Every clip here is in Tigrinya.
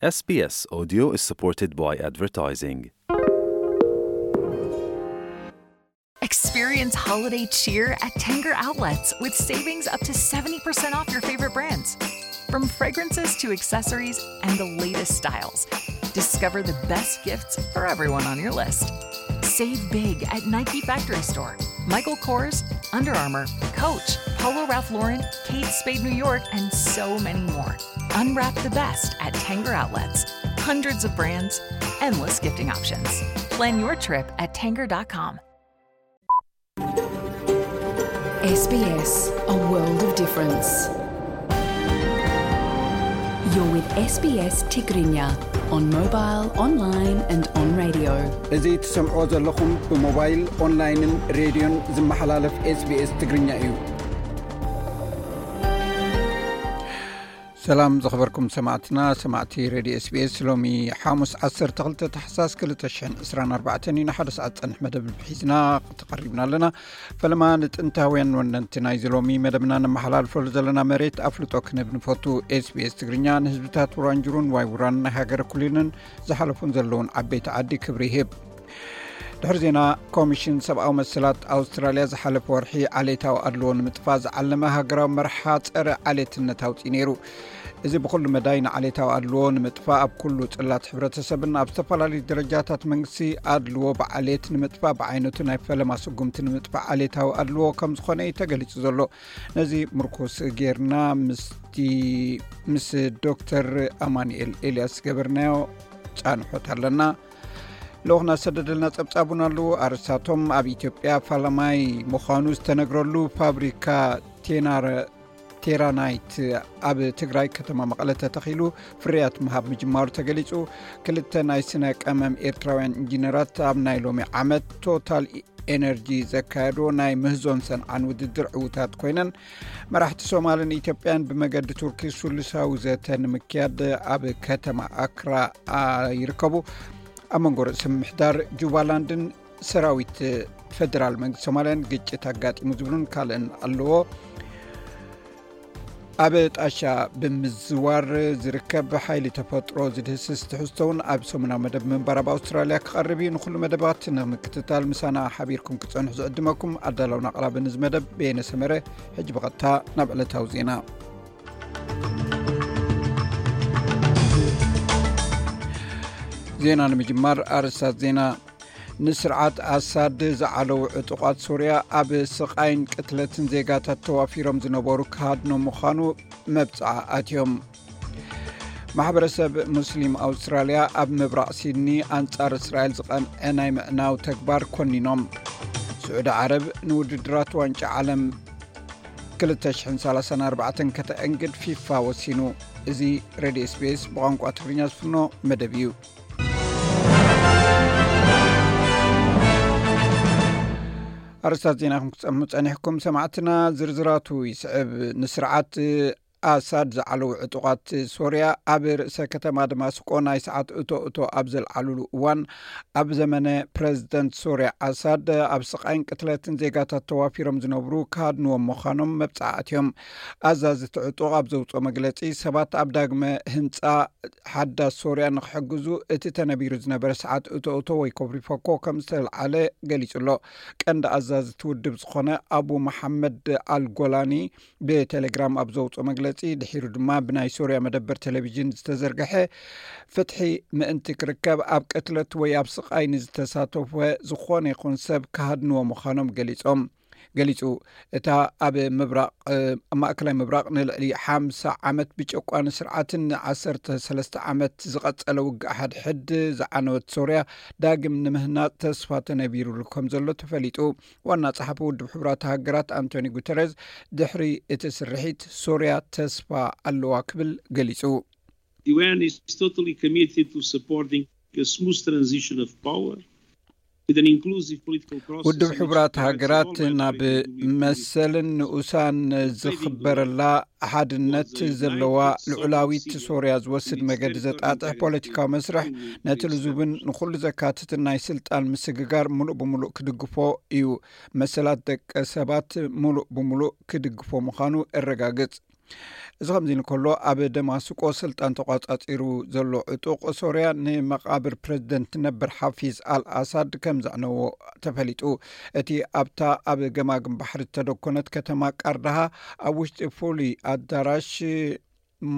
S B S Audio is supported by advertising. Experience holiday cheer at Tanger Outlets with savings up to seventy percent off your favorite brands. From fragrances to accessories and the latest styles, discover the best gifts for everyone on your list. Save big at Nike Factory Store, Michael Kors, Under Armour, Coach, Polo Ralph Lauren, Kate Spade New York, and so many more. Unwrap the best at Tanger Outlets. Hundreds of brands, endless gifting options. Plan your trip at tanger dot com. S B S, a world of difference. You're with S B S Tigrinya on mobile, online and on radio. እዚ ትሰምዖ ዘለኹም ብሞባይል፣ ኦንላይንን ሬድዮን ዝመሓላለፍ SBS ትግርኛ እዩ። ሰላም ዝኸበርኩም ሰማዕትና፣ ሰማዕቲ ሬድዮ SBS። ሎሚ ሓሙስ ዓሰርተ ክልተ ታሕሳስ ክልተ ሽሕን ዕስራን ኣርባዕተን እዩ። ንሓደ ሰዓት ጸንሕ መደብ ሒዝና ተቐሪብና ኣለና። ፈለማ ንጥንታውያን ወነንቲ ናይዚ ሎሚ መደብና ነመሓላልፈሉ ዘለና መሬት ኣፍልጦ ክንህብ ንፈቱ። SBS ትግርኛ ንህዝብታት ውራንጅሩን ዋይ ውራን ናይ ሃገረ ኩሊንን ዝሓለፉን ዘለውን ዓበይቲ ዓዲ ክብሪ ይህብ። ድሕሪ ዜና፣ ኮሚሽን ሰብኣዊ መሰላት ኣውስትራልያ ዝሓለፈ ወርሒ ዓሌታዊ ኣድልዎ ንምጥፋእ ዝዓለመ ሃገራዊ መርሓ ጸረ ዓሌትነት ኣውጺኡ ነይሩ። እዚ ብኹሉ መዳይ ንዓሌታዊ ኣድልዎ ንምጥፋእ ኣብ ኩሉ ጽላት ሕብረተሰብን ኣብ ዝተፈላለዩ ደረጃታት መንግስቲ ኣድልዎ ብዓሌት ንምጥፋእ ብዓይነቱ ናይ ፈለማ ስጉምቲ ንምጥፋእ ዓሌታዊ ኣድልዎ ከም ዝኾነ እዩ ተገሊጹ ዘሎ። ነዚ ምርኩስ ጌርና ምስቲ ምስ ዶክተር ኣማኑኤል ኤልያስ ዝገበርናዮ ጻንሖት ኣለና። ልኡኽና ዝሰደደልና ጸብጻብ እውን ኣለዎ። ኣርእስታቶም፣ ኣብ ኢትዮጵያ ፈላማይ ምዃኑ ዝተነግረሉ ፋብሪካ ቴናረ ቴራናይት ኣብ ትግራይ ከተማ መቐለ ተተኺሉ ፍርያት ምሃብ ምጅማሩ ተገሊጹ። ክልተ ናይ ስነ ቀመም ኤርትራውያን ኢንጂነራት ኣብ ናይ ሎሚ ዓመት ቶታል ኤነርጂ ዘካየዶ ናይ ምህዞን ሰንዓን ውድድር ዕዉታት ኮይነን። መራሕቲ ሶማልን ኢትዮጵያን ብመገዲ ቱርኪ ሱሉሳዊ ዘተ ንምክያድ ኣብ ከተማ ኣክራ ይርከቡ። ኣብ መንጎ ርእሰ ምምሕዳር ጁባላንድን ሰራዊት ፈደራል መንግስቲ ሶማልያን ግጭት ኣጋጢሙ ዝብሉን ካልእን ኣለዎ። ኣብ ጣሻ ብምዝዋር ዝርከብ ሓይሊ ተፈጥሮ ዝድህስስ ትሕዝቶ እውን ኣብ ሰሙናዊ መደብ ምንባር ኣብ ኣውስትራልያ ክቐርብ እዩ። ንኹሉ መደባት ንምክትታል ምሳና ሓቢርኩም ክትጸንሑ ዝዕድመኩም ኣዳላውን ኣቕራብን እዚ መደብ በየነ ሰመረ። ሕጂ ብቐጥታ ናብ ዕለታዊ ዜና። ዜና ንምጅማር ኣርእስታት ዜና። ንስርዓት ኣሳድ ዝዓለዉ ዕጡቓት ሶርያ ኣብ ስቓይን ቅትለትን ዜጋታት ተዋፊሮም ዝነበሩ ክሃድኖ ምዃኑ መብጽዓ ኣትዮም። ማሕበረሰብ ሙስሊም ኣውስትራልያ ኣብ ምብራቕ ሲድኒ ኣንጻር እስራኤል ዝቐንዐ ናይ ምዕናው ተግባር ኮኒኖም። ስዑዲ ዓረብ ንውድድራት ዋንጫ ዓለም ክልተ ሽሕን ሰላሳን ኣርባዕተን ከተእንግድ ፊፋ ወሲኑ። እዚ ሬድዮ SBS ብቋንቋ ትግርኛ ዝፍኖ መደብ እዩ። ኣርእስታት ዜናኹም ክትሰምዑ ጸኒሕኩም ሰማዕትና፣ ዝርዝራቱ ይስዕብ። ንስርዓት ኣሳድ ዝዓለዉ ዕጡቓት ሶርያ ኣብ ርእሰ ከተማ ደማስቆ ናይ ሰዓት እቶ እቶ ኣብ ዘልዓሉሉ እዋን፣ ኣብ ዘመነ ፕረዚደንት ሶርያ ኣሳድ ኣብ ስቓይን ቅትለትን ዜጋታት ተዋፊሮም ዝነብሩ ክሃድንዎም ምዃኖም መብጽዓ ኣትዮም። ኣዛዚ እቲ ዕጡቕ ኣብ ዘውጽኦ መግለጺ፣ ሰባት ኣብ ዳግመ ህንጻ ሓዳስ ሶርያ ንክሕግዙ እቲ ተነቢሩ ዝነበረ ሰዓት እቶ እቶ ወይ ኮብሪፈኮ ከም ዝተልዓለ ገሊጹ ኣሎ። ቀንዲ ኣዛዚ እቲ ውድብ ዝኾነ ኣቡ መሓመድ ኣልጎላኒ ብቴሌግራም ኣብ ዘውፅኦ መግለፂ፣ ድሒሩ ድማ ብናይ ሶርያ መደበር ቴሌቪዥን ዝተዘርግሐ ፍትሒ ምእንቲ ክርከብ ኣብ ቅትለት ወይ ኣብ ስቓይ ንዝተሳተፈ ዝኾነ ይኹን ሰብ ክሃድንዎ ምዃኖም ገሊፆም ገሊፁ። እታ ኣብ ምብራቕ ማእከላይ ምብራቕ ንልዕሊ ሓምሳ ዓመት ብጨቋኒ ስርዓትን ንዓሰርተ ሰለስተ ዓመት ዝቐጸለ ውግእ ሓድሕድ ዝዓነወት ሶርያ ዳግም ንምህናጽ ተስፋ ተነቢሩሉ ከም ዘሎ ተፈሊጡ። ዋና ጸሓፊ ውድብ ሕቡራት ሃገራት ኣንቶኒ ጉተረዝ ድሕሪ እቲ ስርሒት ሶርያ ተስፋ ኣለዋ ክብል ገሊጹ። The U N is totally committed to supporting a smooth transition of power with an inclusive political process. ውድብ ሕቡራት ሃገራት ናብ መሰልን ንኡሳን ዝኽበረላ ሓድነት ዘለዋ ልዑላዊት ሶርያ ዝወስድ መገዲ ዘጣጥሕ ፖለቲካዊ መስርሕ ነቲ ልዙብን ንኹሉ ዘካትትን ናይ ስልጣን ምስግጋር ምሉእ ብምሉእ ክድግፎ እዩ። መሰላት ደቂ ሰባት ምሉእ ብምሉእ ክድግፎ ምዃኑ እረጋግጽ። እዚ ከምዚ እንከሎ፣ ኣብ ደማስቆ ስልጣን ተቋጻጺሩ ዘሎ ዕጡቕ ሶርያ ንመቓብር ፕረዚደንት ነበር ሓፊዝ ኣልኣሳድ ከም ዘዕነዎ ተፈሊጡ። እቲ ኣብታ ኣብ ገማግም ባሕሪ ዝተደኮነት ከተማ ቃርዳሃ ኣብ ውሽጢ ፍሉይ ኣዳራሽ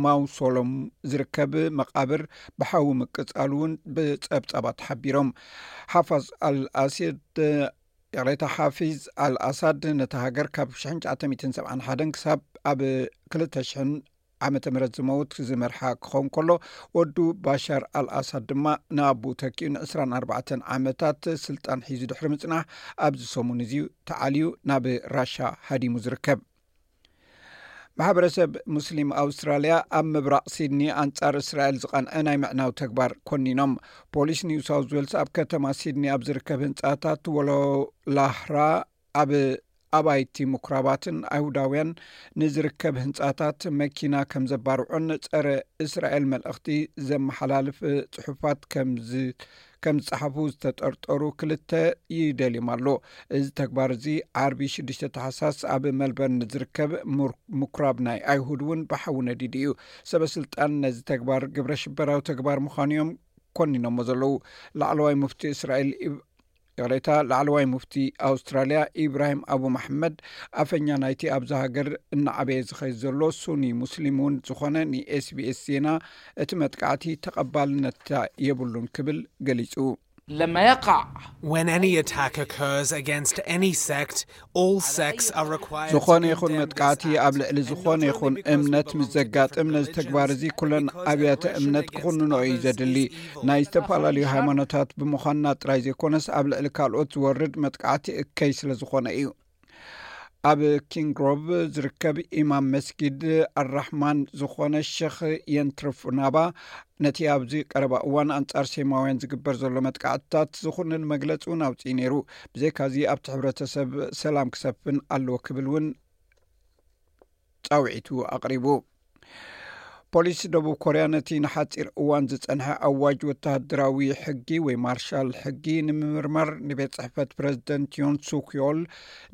ማውሶሎም ዝርከብ መቓብር ብሓዊ ምቅጻሉ እውን ብጸብጻባት ሓቢሮም። ሓፋዝ ኣልኣሲድ፣ ይቕሬታ፣ ሓፊዝ ኣልኣሳድ ነታ ሃገር ካብ ሽሕን ትሽዓተ ሚእትን ሰብዓን ሓደን ክሳብ ኣብ ክልተ ሽሕን ዓመተ ምህረት ዝመውት ዝመርሓ ክኸውን ከሎ፣ ወዱ ባሻር ኣልኣሳድ ድማ ንኣቡ ተኪኡ ንዕስራን ኣርባዕተን ዓመታት ስልጣን ሒዙ ድሕሪ ምጽናሕ፣ ኣብዚ ሰሙን እዚ ተዓልዩ ናብ ራሻ ሃዲሙ ዝርከብ። ማሕበረሰብ ሙስሊም ኣውስትራልያ ኣብ ምብራቕ ሲድኒ ኣንጻር እስራኤል ዝቐንዐ ናይ ምዕናው ተግባር ኮኒኖም። ፖሊስ ኒው ሳውዝ ዌልስ ኣብ ከተማ ሲድኒ ኣብ ዝርከብ ህንጻታት ወሎላህራ ኣብ ኣባይቲ ምኩራባትን ኣይሁዳውያን ንዝርከብ ህንጻታት መኪና ከም ዘባርዑን ጸረ እስራኤል መልእኽቲ ዘመሓላልፍ ጽሑፋት ከም ዝ-፣ ከም ዝጸሓፉ ዝተጠርጠሩ ክልተ ይደልዮም ኣሎ። እዚ ተግባር እዚ ዓርቢ ሽዱሽተ ታሕሳስ ኣብ መልበርን ዝርከብ ምር-፣ ምኩራብ ናይ ኣይሁድ እውን ብሓዊ ነዲዱ እዩ። ሰበ ስልጣን ነዚ ተግባር ግብረ ሽበራዊ ተግባር ምዃኑ እዮም ኮኒኖሞ ዘለዉ። ላዕለዋይ ሙፍቲ እስራኤል ኢብ-፣ ይቕሬታ፣ ላዕለዋይ ሙፍቲ ኣውስትራልያ ኢብራሂም ኣቡ መሐመድ፣ ኣፈኛ ናይቲ ኣብዛ ሃገር እናዓበየ ዝኸይድ ዘሎ ሱኒ ሙስሊም እውን ዝኾነ ንኤስቢኤስ ዜና፣ እቲ መጥቃዕቲ ተቐባልነት የብሉን ክብል ገሊጹ። لما يقع When any attack occurs against any sect, all sects are required ዝኾነ ይኹን መጥቃዕቲ ኣብ ልዕሊ ዝኾነ ይኹን እምነት ምስ ዘጋጥም፣ ነዚ ተግባር እዚ ኩለን ኣብያተ እምነት ክኹንኖ እዩ ዘድሊ። ናይ ዝተፈላለዩ ሃይማኖታት ብምዃንና ጥራይ ዘይኮነስ፣ ኣብ ልዕሊ ካልኦት ዝወርድ መጥቃዕቲ እከይ ስለ ዝኾነ እዩ። ኣብ ኪንግሮቭ ዝርከብ ኢማም መስጊድ ኣራሕማን ዝኾነ ሸኽ የንትርፍ ናባ፣ ነቲ ኣብዚ ቀረባ እዋን ኣንጻር ሴማውያን ዝግበር ዘሎ መጥቃዕትታት ዝኹንን መግለጺ እውን ኣውጽኡ ነይሩ። ብዘይካዚ ኣብቲ ሕብረተሰብ ሰላም ክሰፍን ኣለዎ ክብል እውን ጻውዒቱ ኣቕሪቡ። ፖሊስ ደቡብ ኮርያ ነቲ ንሓጺር እዋን ዝጸንሐ ኣዋጅ ወተሃደራዊ ሕጊ ወይ ማርሻል ሕጊ ንምምርማር ንቤት ጽሕፈት ፕረዚደንት ዮን ሱክ ዮል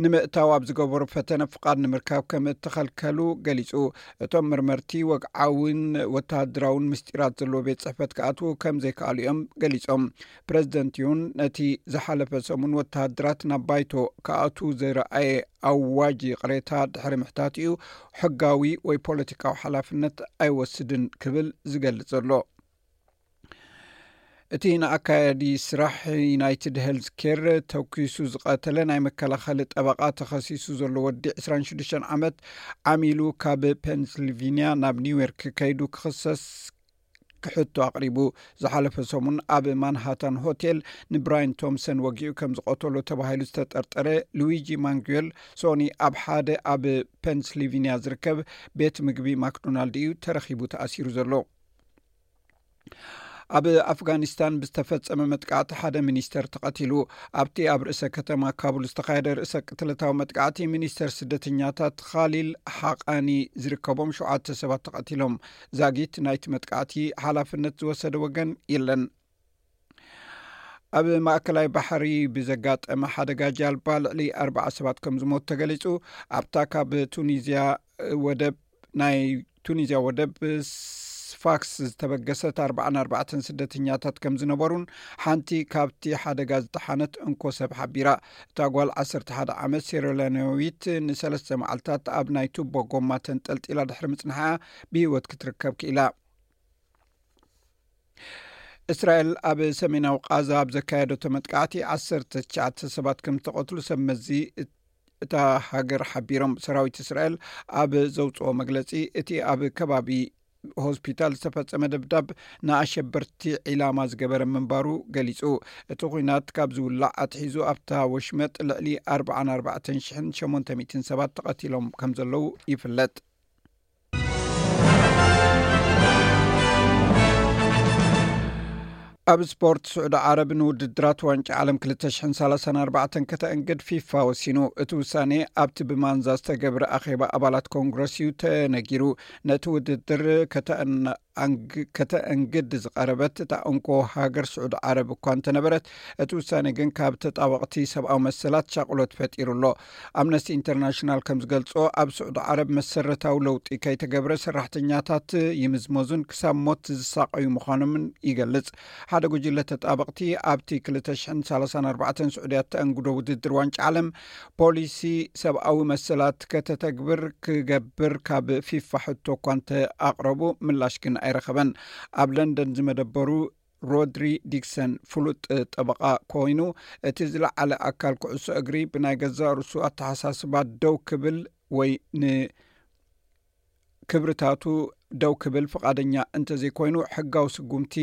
ንምእታው ኣብ ዝገበሩ ፈተነ ፍቓድ ንምርካብ ከም እተኸልከሉ ገሊጹ። እቶም መርመርቲ ወግዓውን ወተሃደራውን ምስጢራት ዘለዎ ቤት ጽሕፈት ክኣትዉ ከም ዘይከኣሉ እዮም ገሊጾም። ፕረዚደንት ዮን ነቲ ዝሓለፈ ሰሙን ወተሃደራት ናብ ባይቶ ክኣትዉ ዝረኣየ ኣዋጅ ይቕሬታ ድሕሪ ምሕታትኡ፣ ሕጋዊ ወይ ፖለቲካዊ ሓላፍነት ኣይወስድን ክብል ዝገልጽ ዘሎ። እቲ ንኣካያዲ ስራሕ ዩናይትድ ሄልዝ ኬር ተኩሱ ዝቐተለ ናይ መከላኸሊ ጠበቓ ተኸሲሱ ዘሎ ወዲ ዕስራን ሽዱሽተን ዓመት ዓሚሉ ካብ ፔንስልቪንያ ናብ ኒውዮርክ ከይዱ ክኽሰስ ክሕቶ ኣቕሪቡ። ዝሓለፈ ሰሙን ኣብ ማንሃታን ሆቴል ንብራይን ቶምሰን ወጊኡ ከም ዝቐተሎ ተባሂሉ ዝተጠርጠረ ሉዊጂ ማንጉዌል ሶኒ ኣብ ሓደ ኣብ ፔንስልቪንያ ዝርከብ ቤት ምግቢ ማክዶናልድ እዩ ተረኺቡ ተኣሲሩ ዘሎ። ኣብ ኣፍጋኒስታን ብዝተፈጸመ መጥቃዕቲ ሓደ ሚኒስተር ተቐቲሉ። ኣብቲ ኣብ ርእሰ ከተማ ካቡል ዝተኻየደ ርእሰ ቅትለታዊ መጥቃዕቲ፣ ሚኒስተር ስደተኛታት ኻሊል ሓቃኒ ዝርከቦም ሸውዓተ ሰባት ተቐቲሎም። ዛጊት ናይቲ መጥቃዕቲ ሓላፍነት ዝወሰደ ወገን የለን። ኣብ ማእከላይ ባሕሪ ብዘጋጠመ ሓደጋ ጃልባ ልዕሊ ኣርባዓ ሰባት ከም ዝሞቱ ተገሊጹ። ኣብታ ካብ ቱኒዝያ ወደብ ናይ ቱኒዝያ ወደብ ስፋክስ ዝተበገሰት ኣርባዓን ኣርባዕተን ስደተኛታት ከም ዝነበሩን ሓንቲ ካብቲ ሓደጋ ዝጠሓነት እንኮ ሰብ ሓቢራ። እታ ጓል ዓሰርተ ሓደ ዓመት ሴራልዮናዊት ንሰለስተ መዓልታት ኣብ ናይ ቱቦ ጎማ ተንጠልጢላ ድሕሪ ምጽንሓ ብህይወት ክትርከብ ክኢላ። እስራኤል ኣብ ሰሜናዊ ቃዛ ኣብ ዘካየደቶ መጥቃዕቲ ዓሰርተ ትሽዓተ ሰባት ከም ዝተቐትሉ ሰብ መዚ እታ ሃገር ሓቢሮም። ሰራዊት እስራኤል ኣብ ዘውፅኦ መግለፂ፣ እቲ ኣብ ከባቢ ሆስፒታል ዝተፈጸመ ደብዳብ ንኣሸበርቲ ዒላማ ዝገበረ ምንባሩ ገሊጹ። እቲ ኲናት ካብ ዝውላዕ ኣትሒዙ ኣብታ ወሽመጥ ልዕሊ ኣርባዓን ኣርባዕተን ሽሕን ሸሞንተ ሚእትን ሰባት ተቐቲሎም ከም ዘለዉ ይፍለጥ። ኣብ ስፖርት፣ ስዑዲ ዓረብ ንውድድራት ዋንጫ ዓለም ክልተ ሽሕን ሰላሳን ኣርባዕተን ከተእንግድ ፊፋ ወሲኑ። እቲ ውሳኔ ኣብቲ ብማንዛ ዝተገብረ ኣኼባ ኣባላት ኮንግረስ እዩ ተነጊሩ። ነቲ ውድድር ከተእና-፣ ኣንግ-፣ ከተእንግድ ዝቐረበት እታ እንኮ ሃገር ስዑዲ ዓረብ እኳ እንተነበረት፣ እቲ ውሳኔ ግን ካብ ተጣበቕቲ ሰብኣዊ መሰላት ሻቕሎት ፈጢሩ ኣሎ። ኣምነስቲ ኢንተርናሽናል ከም ዝገልጾ፣ ኣብ ስዑዲ ዓረብ መሰረታዊ ለውጢ ከይተገብረ ሰራሕተኛታት ይምዝመዙን ክሳብ ሞት ዝሳቐዩ ምዃኖምን ይገልጽ። ሓደ ጉጅለ ተጣበቕቲ ኣብቲ ክልተ ሽሕን ሰላሳን ኣርባዕተን ስዑድያ ተእንግዶ ውድድር ዋንጫ ዓለም ፖሊሲ ሰብኣዊ መሰላት ከተተግብር ክገብር ካብ ፊፋ ሕቶ እኳ እንተ ኣቕረቡ፣ ምላሽ ግን ኣይረኸበን። ኣብ ለንደን ዝመደበሩ ሮድሪ ዲክሰን ፍሉጥ ጠበቓ ኮይኑ፣ እቲ ዝለዓለ ኣካል ኩዕሶ እግሪ ብናይ ገዛእ ርእሱ ኣተሓሳስባ ደው ክብል ወይ ንክብርታቱ ደው ክብል ፍቓደኛ እንተዘይኮይኑ፣ ሕጋዊ ስጉምቲ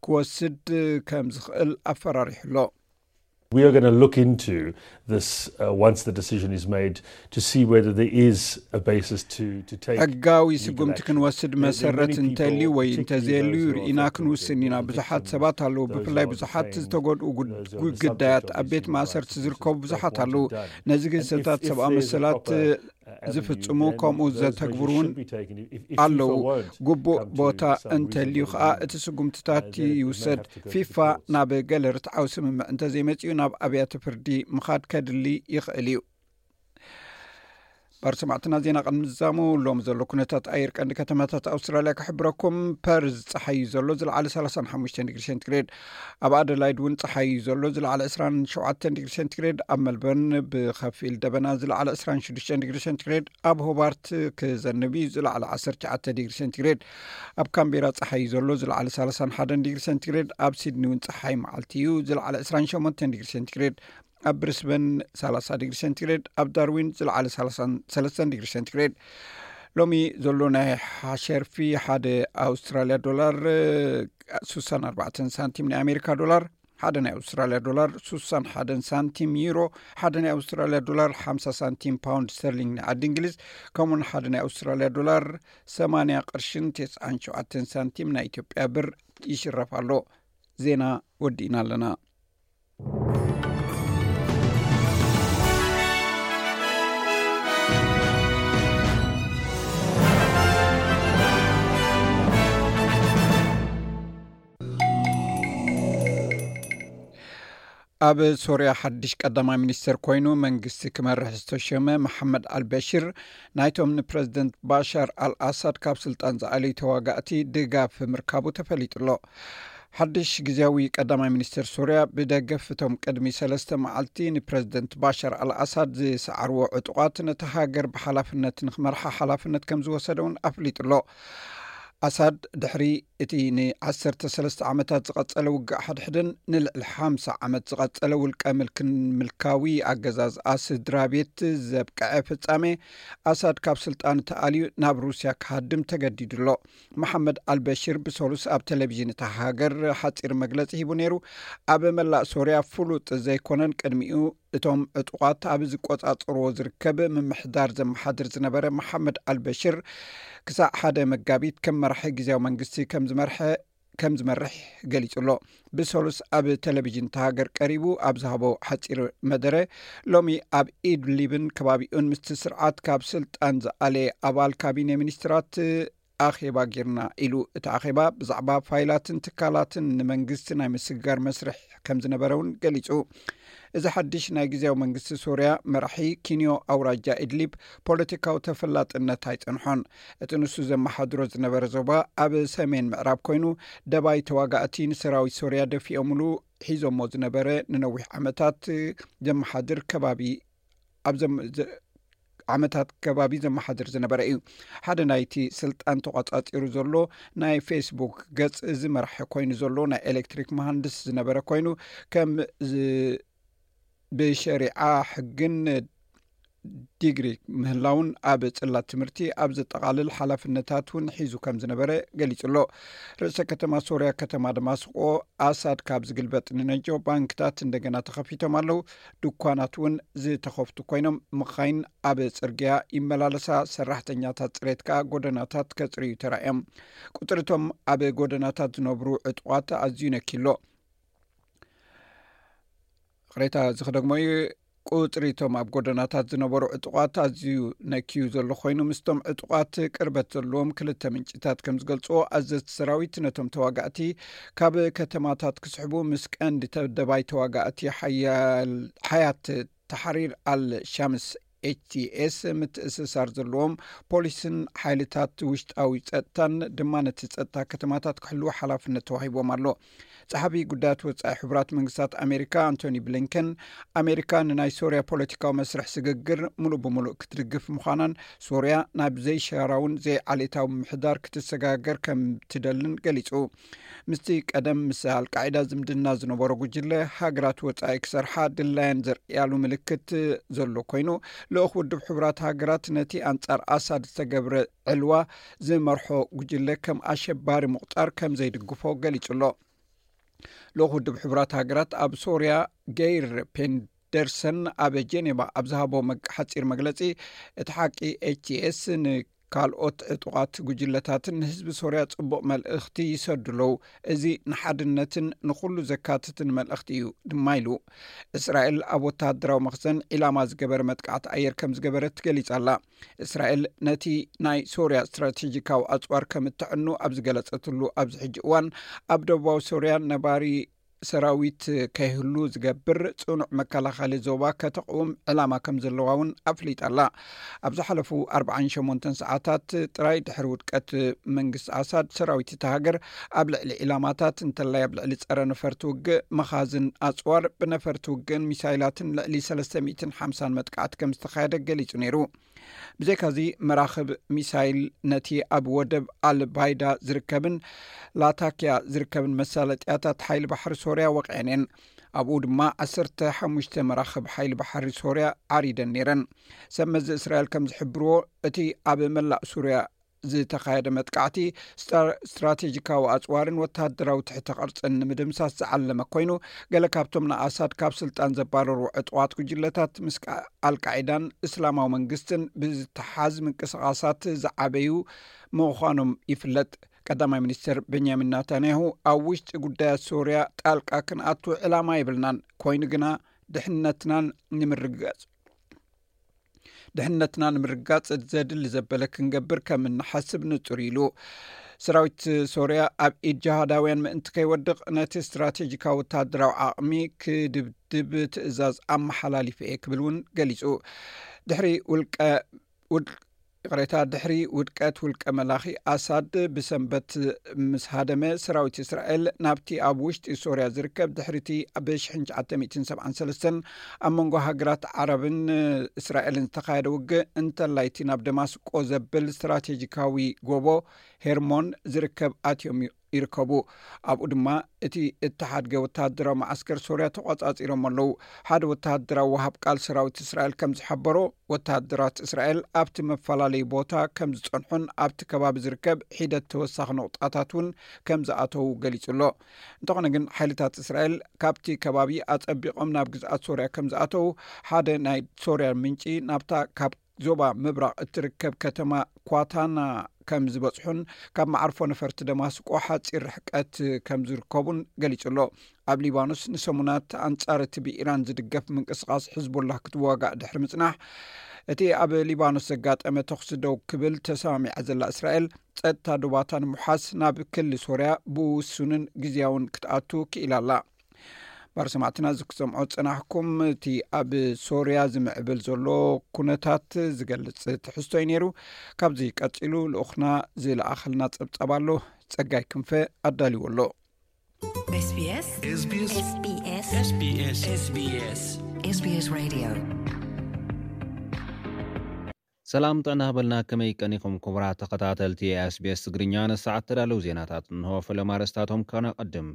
ክወስድ ከም ዝኽእል ኣፈራሪሑ ኣሎ። We are going to look into this uh, once the decision is made to see whether there is a basis to, to take. ሕጋዊ ስጉምቲ ክንወስድ መሰረት እንተልዩ ወይ እንተዘየልዩ ርኢና ክንውስን ኢና። ብዙሓት ሰባት ኣለዉ፣ ብፍላይ ብዙሓት ዝተጎድኡ ጉዳያት ኣብ ቤት ማእሰርቲ ዝርከቡ ብዙሓት ኣለዉ። ነዚ ግህሰታት ሰብኣዊ መሰላት ዝፍጽሙ ከምኡ ዘተግብሩ እውን ኣለዉ። ግቡእ ቦታ እንተልዩ ከኣ እቲ ስጉምትታት ይውሰድ። ፊፋ ናብ ገለ ርትዓዊ ስምምዕ እንተዘይመጺኡ ናብ ኣብያተ ፍርዲ ምኻድ ከድሊ ይኽእል እዩ። ባር ሰማዕትና፣ ዜና ቅድሚ ዝዛሙ ሎም ዘሎ ኩነታት ኣየር ቀንዲ ከተማታት ኣውስትራልያ ክሕብረኩም። ፐርዝ ጸሓይ እዩ ዘሎ፣ ዝለዓለ ሰላሳን ሓሙሽተን ዲግሪ ሴንቲግሬድ። ኣብ ኣደላይድ እውን ጸሓይ እዩ ዘሎ፣ ዝለዓለ ዕስራን ሸውዓተን ዲግሪ ሴንቲግሬድ። ኣብ መልበርን ብኸፊል ደበና፣ ዝለዓለ ዕስራን ሽዱሽተን ዲግሪ ሴንቲግሬድ። ኣብ ሆባርት ክዘንብ እዩ፣ ዝለዓለ ዓሰርተ ትሽዓተ ዲግሪ ሴንቲግሬድ። ኣብ ካምቤራ ጸሓይ እዩ ዘሎ፣ ዝለዓለ ሰላሳን ሓደን ዲግሪ ሴንቲግሬድ። ኣብ ሲድኒ እውን ጸሓይ መዓልቲ እዩ፣ ዝለዓለ ዕስራን ሸሞንተን ዲግሪ ሴንቲግሬድ። ኣብ ብሪስበን ሰላሳ ዲግሪ ሴንቲግሬድ፣ ኣብ ዳርዊን ዝለዓለ ሰላሳን ሰለስተን ዲግሪ ሴንቲግሬድ። ሎሚ ዘሎ ናይ ሓሸርፊ ሓደ ኣውስትራልያ ዶላር ሱሳን ኣርባዕተን ሳንቲም፣ ናይ ኣሜሪካ ዶላር ሓደ ናይ ኣውስትራልያ ዶላር ሱሳን ሓደን ሳንቲም፣ ዩሮ ሓደ ናይ ኣውስትራልያ ዶላር ሓምሳ ሳንቲም፣ ፓውንድ ስተርሊንግ ናይ ዓዲ እንግሊዝ፣ ከምኡውን ሓደ ናይ ኣውስትራልያ ዶላር ሰማንያ ቅርሽን ተስዓን ሸውዓተን ሳንቲም ናይ ኢትዮጵያ ብር ይሽረፍ ኣሎ። ዜና ወዲእና ኣለና። ኣብ ሶርያ ሓድሽ ቀዳማይ ሚኒስተር ኮይኑ መንግስቲ ክመርሕ ዝተሸመ መሓመድ ኣልበሽር፣ ናይቶም ንፕረዚደንት ባሻር ኣልኣሳድ ካብ ስልጣን ዝኣለዩ ተዋጋእቲ ድጋፍ ምርካቡ ተፈሊጡ ኣሎ። ሓድሽ ግዜያዊ ቀዳማይ ሚኒስተር ሶርያ፣ ብደገፍ እቶም ቅድሚ ሰለስተ መዓልቲ ንፕረዚደንት ባሻር ኣልኣሳድ ዝሰዓርዎ ዕጡቓት፣ ነታ ሃገር ብሓላፍነት ንኽመርሓ ሓላፍነት ከም ዝወሰደ እውን ኣፍሊጡ ኣሎ። ኣሳድ ድሕሪ እቲ ንዓሰርተ ሰለስተ ዓመታት ዝቐጸለ ውግእ ሓድሕድን ንልዕሊ ሓምሳ ዓመት ዝቐጸለ ውልቀ ምልክን ምልካዊ ኣገዛዝኣ ስድራ ቤት ዘብቅዐ ፍጻሜ፣ ኣሳድ ካብ ስልጣን ተኣልዩ ናብ ሩስያ ክሃድም ተገዲዱ ኣሎ። መሓመድ ኣልበሽር ብሰሉስ ኣብ ቴሌቪዥን እታ ሃገር ሓጺር መግለጺ ሂቡ ነይሩ። ኣብ መላእ ሶርያ ፍሉጥ ዘይኮነን ቅድሚኡ እቶም ዕጡቓት ኣብ ዝቆጻጸርዎ ዝርከብ ምምሕዳር ዘመሓድር ዝነበረ መሓመድ ኣልበሽር፣ ክሳዕ ሓደ መጋቢት ከም መራሒ ግዜያዊ መንግስቲ ከም ዝመርሐ ከም ዝመርሕ ገሊጹ ኣሎ። ብሰሉስ ኣብ ቴሌቪዥን እታ ሃገር ቀሪቡ ኣብ ዝሃቦ ሓጺር መደረ፣ ሎሚ ኣብ ኢድሊብን ከባቢኡን ምስቲ ስርዓት ካብ ስልጣን ዝኣለየ ኣባል ካቢነ ሚኒስትራት ኣኼባ ጌርና ኢሉ። እቲ ኣኼባ ብዛዕባ ፋይላትን ትካላትን ንመንግስቲ ናይ ምስግጋር መስርሕ ከም ዝነበረ እውን ገሊጹ። እዚ ሓድሽ ናይ ግዜያዊ መንግስቲ ሶርያ መራሒ፣ ኪንዮ ኣውራጃ ኢድሊብ ፖለቲካዊ ተፈላጥነት ኣይጸንሖን። እቲ ንሱ ዘመሓድሮ ዝነበረ ዞባ ኣብ ሰሜን ምዕራብ ኮይኑ፣ ደባይ ተዋጋእቲ ንሰራዊት ሶርያ ደፊኦምሉ ሒዞሞ ዝነበረ ንነዊሕ ዓመታት ዘመሓድር ከባቢ ኣብ ዘም-፣ ዘ-፣ ዓመታት ከባቢ ዘመሓድር ዝነበረ እዩ። ሓደ ናይቲ ስልጣን ተቖጻጺሩ ዘሎ ናይ ፌስቡክ ገጽ፣ እዚ መራሒ ኮይኑ ዘሎ ናይ ኤሌክትሪክ መሃንድስ ዝነበረ ኮይኑ፣ ከም ዝ-፣ ብሸሪዓ ሕግን ዲግሪ ምህላውን ኣብ ጽላት ትምህርቲ ኣብ ዘጠቓልል ሓላፍነታት እውን ሒዙ ከም ዝነበረ ገሊጹ ኣሎ። ርእሰ ከተማ ሶርያ ከተማ ደማስቆ ኣሳድ ካብ ዝግልበጥ ንነጆ ባንክታት እንደገና ተኸፊቶም ኣለዉ። ድኳናት እውን ዝተኸፍቱ ኮይኖም፣ መኻይን ኣብ ጽርግያ ይመላለሳ፣ ሰራሕተኛታት ጽሬት ከኣ ጎደናታት ከጽርዩ ተራእዮም። ቁጽሪ እቶም ኣብ ጎደናታት ዝነብሩ ዕጡቓት ኣዝዩ ነኪሎ። ቅሬታ እዚ ክደግሞ እዩ። ቁጽሪ እቶም ኣብ ጎደናታት ዝነበሩ ዕጡቓት ኣዝዩ ነክዩ ዘሎ ኮይኑ፣ ምስቶም ዕጡቓት ቅርበት ዘለዎም ክልተ ምንጭታት ከም ዝገልጽዎ፣ ኣዘዝቲ ሰራዊት ነቶም ተዋጋእቲ ካብ ከተማታት ክስሕቡ ምስ ቀንዲ ተደባይ ተዋጋእቲ ሓያል-፣ ሓያት ተሕሪር ኣል ሻምስ፣ ኤች ቲ ኤስ፣ ምትእስሳር ዘለዎም ፖሊስን ሓይልታት ውሽጣዊ ጸጥታን ድማ ነቲ ጸጥታ ከተማታት ክሕልዉ ሓላፍነት ተዋሂቦም ኣሎ። ጸሓፊ ጉዳያት ወጻኢ ሕቡራት መንግስታት ኣሜሪካ ኣንቶኒ ብሊንከን፣ ኣሜሪካ ንናይ ሶርያ ፖለቲካዊ መስርሕ ስግግር ምሉእ ብምሉእ ክትድግፍ ምዃናን፣ ሶርያ ናብ ዘይሻራውን ዘይዓሌታዊ ምሕዳር ክትሰጋገር ከም ትደልን ገሊጹ። ምስቲ ቀደም ምስ ኣልቃዒዳ ዝምድና ዝነበሮ ጉጅለ፣ ሃገራት ወጻኢ ክሰርሓ ድላየን ዘርእያሉ ምልክት ዘሎ ኮይኑ፣ ልኡኽ ውድብ ሕቡራት ሃገራት ነቲ ኣንጻር ኣሳድ ዝተገብረ ዕልዋ ዝመርሖ ጉጅለ ከም ኣሸባሪ ምቑጻር ከም ዘይድግፎ ገሊጹ ኣሎ። ልኡኽ ውድብ ሕቡራት ሃገራት ኣብ ሶርያ ገይር ፔንደርሰን ኣብ ጀኔቫ ኣብ ዝሃቦ መግ-፣ ሓጺር መግለጺ፣ እቲ ሓቂ ኤች ቲ ኤስ ንካልኦት ዕጡቓት ጉጅለታትን ንህዝቢ ሶርያ ጽቡቕ መልእኽቲ ይሰዱ ኣለዉ። እዚ ንሓድነትን ንኹሉ ዘካትትን መልእኽቲ እዩ ድማ ኢሉ። እስራኤል ኣብ ወተሃደራዊ መኽዘን ዒላማ ዝገበረ መጥቃዕቲ ኣየር ከም ዝገበረት ገሊጻ ኣላ። እስራኤል ነቲ ናይ ሶርያ ስትራቴጂካዊ ኣጽዋር ከም እተዕኑ ኣብ ዝገለጸትሉ ኣብዚ ሕጂ እዋን፣ ኣብ ደቡባዊ ሶርያ ነባሪ ሰራዊት ከይህሉ ዝገብር ጽኑዕ መከላኸሊ ዞባ ከተቕውም ዕላማ ከም ዘለዋ እውን ኣፍሊጣ ኣላ። ኣብ ዝሓለፉ ኣርብዓን ሸሞንተን ሰዓታት ጥራይ ድሕሪ ውድቀት መንግስቲ ኣሳድ፣ ሰራዊት እታ ሃገር ኣብ ልዕሊ ዒላማታት፣ እንተላይ ኣብ ልዕሊ ጸረ ነፈርቲ ውግእ፣ መኻዝን ኣጽዋር፣ ብነፈርቲ ውግእን ሚሳይላትን ልዕሊ ሰለስተ ሚእትን ሓምሳን መጥቃዕቲ ከም ዝተኻየደ ገሊጹ ነይሩ። ብዘይካዚ፣ መራኽብ ሚሳይል ነቲ ኣብ ወደብ ኣልባይዳ ዝርከብን ላታኪያ ዝርከብን መሳለጥያታት ሓይሊ ባሕሪ ሶርያ ወቒዐን እየን። ኣብኡ ድማ ዓሰርተ ሓሙሽተ መራኽብ ሓይሊ ባሕሪ ሶርያ ዓሪደን ነይረን። ሰብ መዚ እስራኤል ከም ዝሕብርዎ፣ እቲ ኣብ መላእ ሱርያ ዝተኻየደ መጥቃዕቲ፣ ስታ-፣ ስትራቴጂካዊ ኣጽዋርን ወተሃደራዊ ትሕተ ቅርጽን ንምድምሳስ ዝዓለመ ኮይኑ፣ ገለ ካብቶም ንኣሳድ ካብ ስልጣን ዘባረሩ ዕጡቓት ጉጅለታት ምስ ቃ-፣ ኣልቃዒዳን እስላማዊ መንግስትን ብዝተሓዝ ምንቅስቓሳት ዝዓበዩ ምዃኖም ይፍለጥ። ቀዳማይ ሚኒስትር ቤንያሚን ናታንያሁ፣ ኣብ ውሽጢ ጉዳያት ሶርያ ጣልቃ ክንኣቱ ዕላማ የብልናን፣ ኮይኑ ግና ድሕነትናን ንምርግጋጽ ድሕነትና ንምርጋጽ ዘድሊ ዘበለ ክንገብር ከም እንሓስብ ንጹር ኢሉ። ሰራዊት ሶርያ ኣብ ኢድ ጅሃዳውያን ምእንቲ ከይወድቕ፣ ነቲ ስትራቴጂካዊ ወተሃደራዊ ዓቕሚ ክድብድብ ትእዛዝ ኣመሓላሊፈ እየ ክብል እውን ገሊጹ። ድሕሪ ውልቀ ውድ-፣ ይቕሬታ፣ ድሕሪ ውድቀት ውልቀ መላኺ ኣሳድ ብሰንበት ምስ ሃደመ፣ ሰራዊት እስራኤል ናብቲ ኣብ ውሽጢ ሶርያ ዝርከብ ድሕሪቲ ብ ሽሕን ትሽዓተ ሚእትን ሰብዓን ሰለስተን ኣብ መንጎ ሃገራት ዓረብን እስራኤልን ዝተኻየደ ውግእ፣ እንተላይ እቲ ናብ ደማስቆ ዘብል ስትራቴጂካዊ ጎቦ ሄርሞን ዝርከብ ኣትዮም ይርከቡ። ኣብኡ ድማ እቲ እተሓድገ ወተሃደራዊ መዓስከር ሶርያ ተቖጻጺሮም ኣለዉ። ሓደ ወተሃደራዊ ወሃብ ቃል ሰራዊት እስራኤል ከም ዝሓበሮ፣ ወተሃደራት እስራኤል ኣብቲ መፈላለዪ ቦታ ከም ዝጸንሑን ኣብቲ ከባቢ ዝርከብ ሒደት ተወሳኺ ነቑጣታት እውን ከም ዝኣተዉ ገሊጹ ኣሎ። እንተኾነ ግን፣ ሓይልታት እስራኤል ካብቲ ከባቢ ኣጸቢቖም ናብ ግዝኣት ሶርያ ከም ዝኣተዉ ሓደ ናይ ሶርያ ምንጪ ናብታ ካብ ዞባ ምብራቕ እትርከብ ከተማ ኳታና ከም ዝበጽሑን ካብ መዓርፎ ነፈርቲ ደማስቆ ሓጺር ርሕቀት ከም ዝርከቡን ገሊጹ ኣሎ። ኣብ ሊባኖስ ንሰሙናት ኣንጻር እቲ ብኢራን ዝድገፍ ምንቅስቓስ ሕዝቡላህ ክትዋጋእ ድሕሪ ምጽናሕ፣ እቲ ኣብ ሊባኖስ ዘጋጠመ ተኹሲ ደው ክብል ተሰማሚዓ ዘላ እስራኤል፣ ጸጥታ ዶባታ ንምውሓስ ናብ ክሊ ሶርያ ብውሱንን ግዝያውን ክትኣቱ ክኢላ ኣላ። ባር ሰማዕትና፣ እዚ ክሰምዖ ዝጸናሕኩም፣ እቲ ኣብ ሶርያ ዝምዕብል ዘሎ ኩነታት ዝገልጽ ትሕዝቶ እዩ ነይሩ። ካብዚ ቀጺሉ ልኡኽና ዝለኣኸልና ጸብጻብ ኣሎ፣ ጸጋይ ክንፈ ኣዳልዎ ኣሎ። SBS SBS SBS SBS SBS Radio። ሰላም ጥዕና ሃበልና፣ ከመይ ቀኒኹም ክቡራት ተኸታተልቲ SBS ትግርኛ? ንሰዓት ተዳለዉ ዜናታት እንሆ። ፈለማ ኣርእስታቶም ከነቐድም።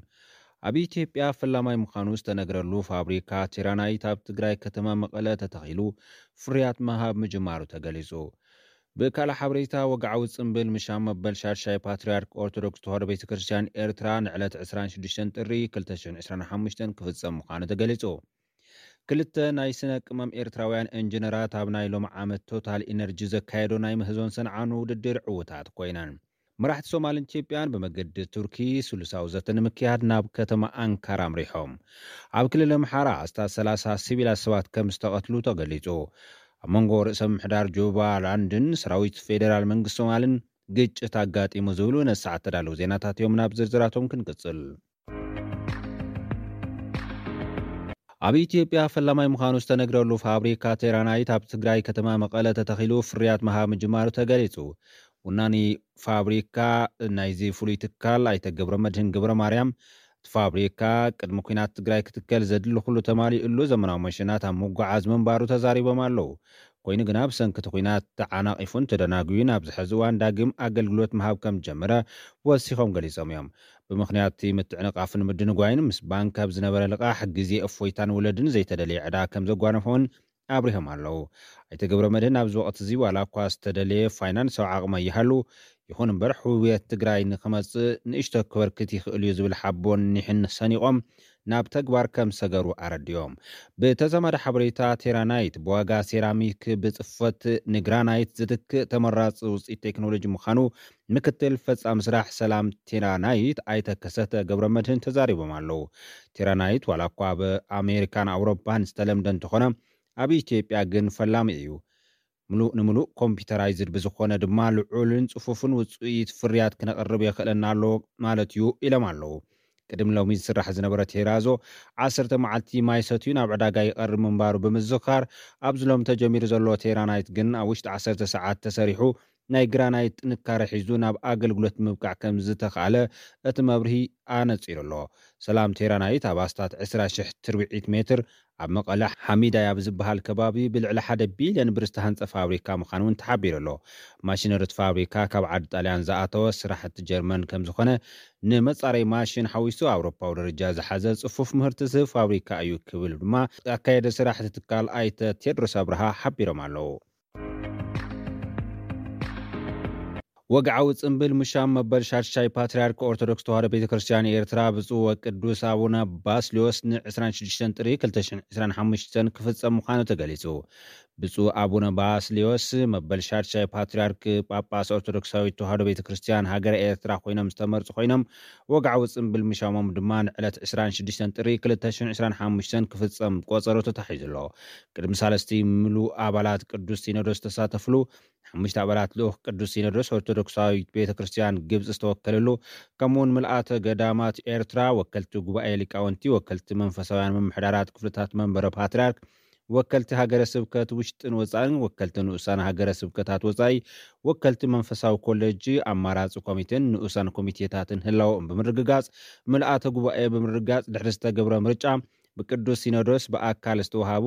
ኣብ ኢትዮጵያ ፈላማይ ምዃኑ ዝተነግረሉ ፋብሪካ ቲራናይት ኣብ ትግራይ ከተማ መቐለ ተተኺሉ ፍርያት ምሃብ ምጅማሩ ተገሊጹ። ብካልእ ሓበሬታ፣ ወግዓዊ ጽምብል ምሻም መበል ሻድሻይ ፓትርያርክ ኦርቶዶክስ ተዋህዶ ቤተ ክርስቲያን ኤርትራ ንዕለት ዕስራን ሽዱሽተን ጥሪ ክልተ ሽሕን ዕስራን ሓሙሽተን ክፍጸም ምዃኑ ተገሊጹ። ክልተ ናይ ስነ ቅመም ኤርትራውያን ኢንጂነራት ኣብ ናይ ሎሚ ዓመት ቶታል ኢነርጂ ዘካየዶ ናይ ምህዞን ሰንዓን ውድድር ዕዉታት ኮይነን። መራሕቲ ሶማልን ኢትዮጵያን ብመገዲ ቱርኪ ስሉሳዊ ዘተ ንምክያድ ናብ ከተማ ኣንካራ ኣምሪሖም። ኣብ ክልል ኣምሓራ ኣስታት ሰላሳ ሲቪላት ሰባት ከም ዝተቐትሉ ተገሊጹ። ኣብ መንጎ ርእሰ ምምሕዳር ጁባላንድን ሰራዊት ፌዴራል መንግስቲ ሶማልን ግጭት ኣጋጢሙ ዝብሉ ነሰዓት ተዳለዉ ዜናታት እዮም። ናብ ዝርዝራቶም ክንቅጽል። ኣብ ኢትዮጵያ ፈላማይ ምዃኑ ዝተነግረሉ ፋብሪካ ቴራናይት ኣብ ትግራይ ከተማ መቐለ ተተኺሉ ፍርያት ምሃብ ምጅማሩ ተገሊጹ። ውናኒ ፋብሪካ ናይዚ ፍሉይ ትካል ኣይተ ገብረ መድህን ገብረ ማርያም፣ እቲ ፋብሪካ ቅድሚ ኲናት ትግራይ ክትከል ዘድሊ ኩሉ ተማሊኡሉ ዘመናዊ መሽናት ኣብ ምጉዓዝ ምንባሩ ተዛሪቦም ኣለዉ። ኮይኑ ግና ብሰንኪ እቲ ኲናት ተዓናቒፉን ተደናጉዩን ኣብዚ ሕዚ እዋን ዳግም ኣገልግሎት ምሃብ ከም ጀመረ ወሲኾም ገሊጾም እዮም። ብምኽንያት እቲ ምትዕንቓፍን ምድንጓይን ምስ ባንክ ኣብ ዝነበረ ልቓሕ ግዜ እፎይታን ወለድን ዘይተደለየ ዕዳ ከም ዘጓነፎን ኣብሪሆም ኣለዉ። ኣይተ ገብረ መድህን ኣብዚ ወቕቲ እዚ ዋላ እኳ ዝተደለየ ፋይናንሳዊ ዓቕሚ ኣይሃሉ፣ ይኹን እምበር ሕውየት ትግራይ ንክመጽእ ንእሽቶ ክበርክት ይኽእል እዩ ዝብል ሓቦን ኒሕን ሰኒቖም ናብ ተግባር ከም ሰገሩ ኣረዲኦም። ብተዛማዲ ሓበሬታ ቴራናይት ብዋጋ ሴራሚክ ብጽፈት ንግራናይት ዝትክእ ተመራጺ ውፅኢት ቴክኖሎጂ ምዃኑ ምክትል ፈጻሚ ስራሕ ሰላም ቴራናይት ኣይተ ከሰተ ገብረ መድህን ተዛሪቦም ኣለዉ። ቴራናይት ዋላ እኳ ኣብ ኣሜሪካን ኣውሮፓን ዝተለምደ እንተኾነ ኣብ ኢትዮጵያ ግን ፈላሚ እዩ። ምሉእ ንምሉእ ኮምፒውተራይዝድ ብዝኾነ ድማ ልዑልን ጽፉፍን ውጽኢት ፍርያት ክነቕርብ የኽእለና ኣሎ ማለት እዩ ኢሎም ኣለዉ። ቅድሚ ሎሚ ዝስራሕ ዝነበረ ቴራዞ ዓሰርተ መዓልቲ ማይ ሰትዩ ናብ ዕዳጋ ይቐርብ ምንባሩ ብምዝኻር ኣብዚ ሎም ተጀሚሩ ዘሎ ቴራናይት ግን ኣብ ውሽጢ ዓሰርተ ሰዓት ተሰሪሑ ናይ ግራናይት ጥንካረ ሒዙ ናብ ኣገልግሎት ምብቃዕ ከም ዝተኻእለ እቲ መብርሂ ኣነጺሩ ኣሎ። ሰላም ቴራናይት ኣብ ኣስታት ዕስራ ሽሕ ትርብዒት ሜትር ኣብ መቐለ ሓሚዳይ ኣብ ዝበሃል ከባቢ ብልዕሊ ሓደ ቢልዮን ብር ዝተሃንጸ ፋብሪካ ምዃኑ እውን ተሓቢሩ ኣሎ። ማሽነሪ እቲ ፋብሪካ ካብ ዓዲ ጣልያን ዝኣተወ ስራሕቲ ጀርመን ከም ዝኾነ ንመጻረይ ማሽን ሓዊሱ ኣውሮፓዊ ደረጃ ዝሓዘ ጽፉፍ ምህርቲ ዝህብ ፋብሪካ እዩ ክብል ድማ ኣካየደ ስራሕ እቲ ትካል ኣይተ ቴድሮስ ኣብርሃ ሓቢሮም ኣለዉ። ወግዓዊ ጽምብል ምሻም መበል ሻድሻይ ፓትርያርክ ኦርቶዶክስ ተዋህዶ ቤተ ክርስቲያን ኤርትራ ብፁዕ ወቅዱስ ኣቡነ ባስልዮስ ን ዕስራን ሽዱሽተን ጥሪ ክልተ ሽሕን ዕስራን ሓሙሽተን ክፍጸም ምዃኑ ተገሊጹ። ብፁዕ ኣቡነ ባስልዮስ መበል ሻድሻይ ፓትርያርክ ጳጳስ ኦርቶዶክሳዊት ተዋህዶ ቤተ ክርስቲያን ሃገረ ኤርትራ ኮይኖም ዝተመርጹ ኮይኖም፣ ወግዓዊ ጽምብል ምሻሞም ድማ ንዕለት ዕስራን ሽዱሽተን ጥሪ ክልተ ሽሕን ዕስራን ሓሙሽተን ክፍጸም ቆጸሮ ተታሒዙ ኣሎ። ቅድሚ ሳለስቲ ምሉእ ኣባላት ቅዱስ ሲኖዶስ ዝተሳተፍሉ፣ ሓሙሽተ ኣባላት ልኡኽ ቅዱስ ሲኖዶስ ኦርቶዶክሳዊት ቤተ ክርስቲያን ግብጺ ዝተወከለሉ፣ ከምኡውን ምልኣተ ገዳማት ኤርትራ፣ ወከልቲ ጉባኤ ሊቃውንቲ፣ ወከልቲ መንፈሳውያን ምምሕዳራት ክፍልታት መንበረ ፓትርያርክ፣ ወከልቲ ሃገረ ስብከት ውሽጥን ወጻእን፣ ወከልቲ ንኡሳን ሃገረ ስብከታት ወጻኢ፣ ወከልቲ መንፈሳዊ ኮሌጅ፣ ኣማራጺ ኮሚቴን ንኡሳን ኮሚቴታትን ህላወኦም ብምርግጋጽ፣ ምልኣተ ጉባኤ ብምርግጋጽ ድሕሪ ዝተገብረ ምርጫ ብቅዱስ ሲኖዶስ ብኣካል ዝተውሃቡ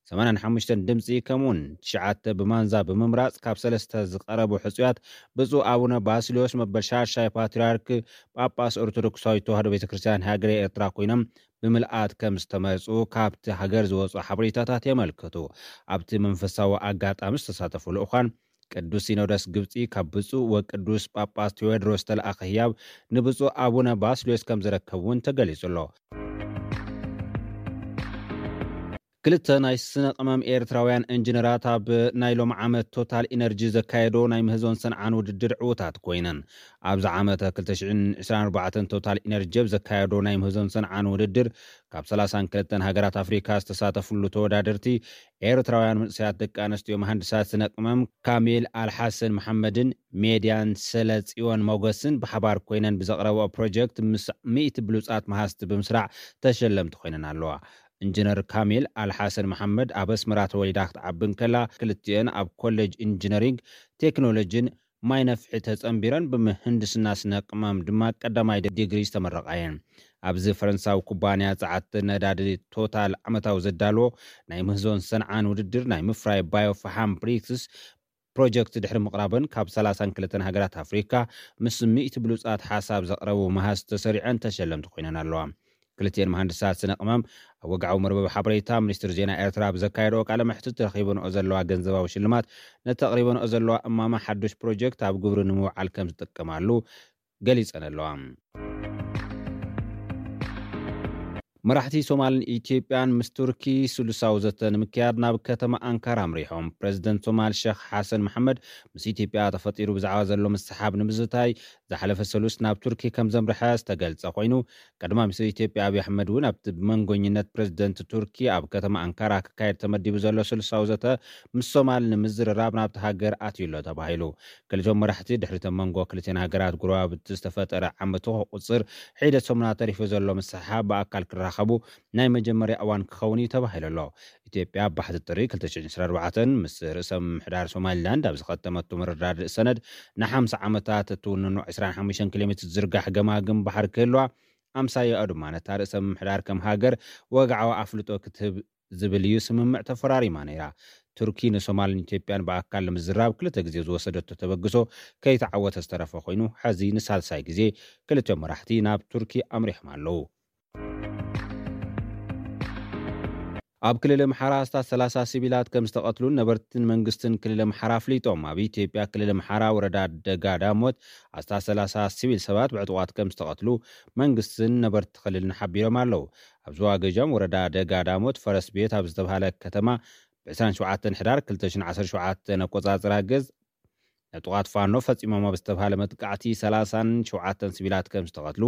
ሰማንያን ሓሙሽተን ድምጺ ከምኡውን ትሽዓተ ብማንዛ ብምምራጽ ካብ ሰለስተ ዝቐረቡ ሕጹያት ብፁዕ ኣቡነ ባስልዮስ መበል ሻድሻይ ፓትርያርክ ጳጳስ ኦርቶዶክሳዊት ተዋህዶ ቤተ ክርስቲያን ሃገረ ኤርትራ ኮይኖም ብምልኣት ከም ዝተመርጹ ካብቲ ሃገር ዝወጹ ሓበሬታታት የመልክቱ። ኣብቲ መንፈሳዊ ኣጋጣሚ ዝተሳተፉ ልኡኻን ቅዱስ ሲኖዶስ ግብጺ ካብ ብፁዕ ወቅዱስ ጳጳስ ቴዎድሮስ ዝተለኣኸ ህያብ ንብፁዕ ኣቡነ ባስልዮስ ከም ዝረከቡ እውን ተገሊጹ ኣሎ። ክልተ ናይ ስነ ቅመም ኤርትራውያን ኢንጂነራት ኣብ ናይ ሎም ዓመት ቶታል ኢነርጂ ዘካየዶ ናይ ምህዞን ሰንዓን ውድድር ዕዉታት ኮይነን። ኣብዚ ዓመተ ክልተ ሽሕን ዕስራን ኣርባዕተን ቶታል ኢነርጂ ኣብ ዘካየዶ ናይ ምህዞን ሰንዓን ውድድር ካብ ሰላሳን ክልተን ሃገራት ኣፍሪካ ዝተሳተፍሉ ተወዳደርቲ ኤርትራውያን መንእሰያት ደቂ ኣንስትዮ መሃንድሳት ስነ ቅመም ካሚል ኣልሓሰን መሓመድን ሜድያን ሰለ ጽዮን ሞገስን ብሓባር ኮይነን ብዘቕረብኦ ፕሮጀክት ምስ ሚእቲ ብሉጻት መሃዝቲ ብምስራዕ ተሸለምቲ ኮይነን ኣለዋ። ኢንጂነር ካሚል ኣልሓሰን መሓመድ ኣብ ኣስመራ ተወሊዳ ክትዓቢ እንከላ፣ ክልቲኤን ኣብ ኮሌጅ ኢንጂነሪንግ ቴክኖሎጂን ማይ ነፍሒ ተጸንቢረን ብምህንድስና ስነ ቅመም ድማ ቀዳማይ ዲግሪ ዝተመረቓ እየን። ኣብዚ ፈረንሳዊ ኩባንያ ጸዓት ነዳዲ ቶታል ዓመታዊ ዘዳልዎ ናይ ምህዞን ሰንዓን ውድድር ናይ ምፍራይ ባዮ ፈሓም ብሪክስ ፕሮጀክት ድሕሪ ምቕራበን ካብ ሰላሳን ክልተን ሃገራት ኣፍሪካ ምስ ሚእቲ ብሉጻት ሓሳብ ዘቕረቡ መሃዝ ተሰሪዐን ተሸለምቲ ኮይነን ኣለዋ። ክልቲኤን መሃንድሳት ስነ ቅመም ኣብ ወግዓዊ መርበብ ሓበሬታ ሚኒስትሪ ዜና ኤርትራ ብዘካየድኦ ቃለ መሕትት ረኺበንኦ ዘለዋ ገንዘባዊ ሽልማት ነቲ ኣቕሪበንኦ ዘለዋ እማመ ሓዱሽ ፕሮጀክት ኣብ ግብሪ ንምውዓል ከም ዝጥቀማሉ ገሊጸን ኣለዋ። መራሕቲ ሶማልን ኢትዮጵያን ምስ ቱርኪ ስሉሳዊ ዘተ ንምክያድ ናብ ከተማ ኣንካራ ኣምሪሖም። ፕሬዚደንት ሶማል ሸኽ ሓሰን መሓመድ ምስ ኢትዮጵያ ተፈጢሩ ብዛዕባ ዘሎ ምስሓብ ንምዝታይ ዝሓለፈ ሰሉስ ናብ ቱርኪ ከም ዘምርሐ ዝተገልጸ ኮይኑ፣ ቀዳማይ ሚኒስትር ኢትዮጵያ ኣብይ ኣሕመድ እውን ኣብቲ ብመንጎኝነት ፕሬዚደንት ቱርኪ ኣብ ከተማ ኣንካራ ክካየድ ተመዲቡ ዘሎ ስሉሳዊ ዘተ ምስ ሶማል ንምዝርራብ ናብቲ ሃገር ኣትዩ ኣሎ ተባሂሉ። ክልቲኦም መራሕቲ ድሕሪቶም መንጎ ክልቲን ሃገራት ጉረባብቲ ዝተፈጠረ ዓመቱ ቁፅር ሒደት ሰሙና ተሪፉ ዘሎ ምስሓብ ብኣካል ክራኸቡ ናይ መጀመርያ እዋን ክኸውን እዩ ተባሂሉ ኣሎ። ኢትዮጵያ ኣብ ባሕቲ ጥሪ ክልተ ሽሕን ዕስራን ኣርባዕተን ምስ ርእሰ ምምሕዳር ሶማሊላንድ ኣብ ዝኸተመቱ መረዳድእ ሰነድ ንሓምሳ ዓመታት እትውንኖ ዕስራን ሓሙሽተን ኪሎ ሜትር ዝርጋሕ ገማግም ባሕሪ ክህልዋ፣ ኣምሳያኡ ድማ ነታ ርእሰ ምምሕዳር ከም ሃገር ወግዓዊ ኣፍልጦ ክትህብ ዝብል እዩ ስምምዕ ተፈራሪማ ነይራ። ቱርኪ ንሶማልን ኢትዮጵያን ብኣካል ንምዝራብ ክልተ ግዜ ዝወሰደቶ ተበግሶ ከይተዓወተ ዝተረፈ ኮይኑ፣ ሕዚ ንሳልሳይ ግዜ ክልቲኦም መራሕቲ ናብ ቱርኪ ኣምሪሖም ኣለዉ። ኣብ ክልል ኣምሓራ ኣስታት ሰላሳ ሲቪላት ከም ዝተቐትሉን ነበርትን መንግስትን ክልል ኣምሓራ ኣፍሊጦም። ኣብ ኢትዮጵያ ክልል ኣምሓራ ወረዳ ደጋ ዳሞት ኣስታት ሰላሳ ሲቪል ሰባት ብዕጡቓት ከም ዝተቐትሉ መንግስትን ነበርቲ ክልልን ሓቢሮም ኣለዉ። ኣብ ዞባ ገጃም ወረዳ ደጋ ዳሞት ፈረስ ቤት ኣብ ዝተባሃለ ከተማ ብ27 ሕዳር ክልተ ሽሕን ዓሰርተ ሸውዓተን ኣቆጻጽራ ገዝ ዕጡቓት ፋኖ ፈጺሞም ኣብ ዝተባሃለ መጥቃዕቲ ሰላሳን ሸውዓተን ሲቪላት ከም ዝተቐትሉ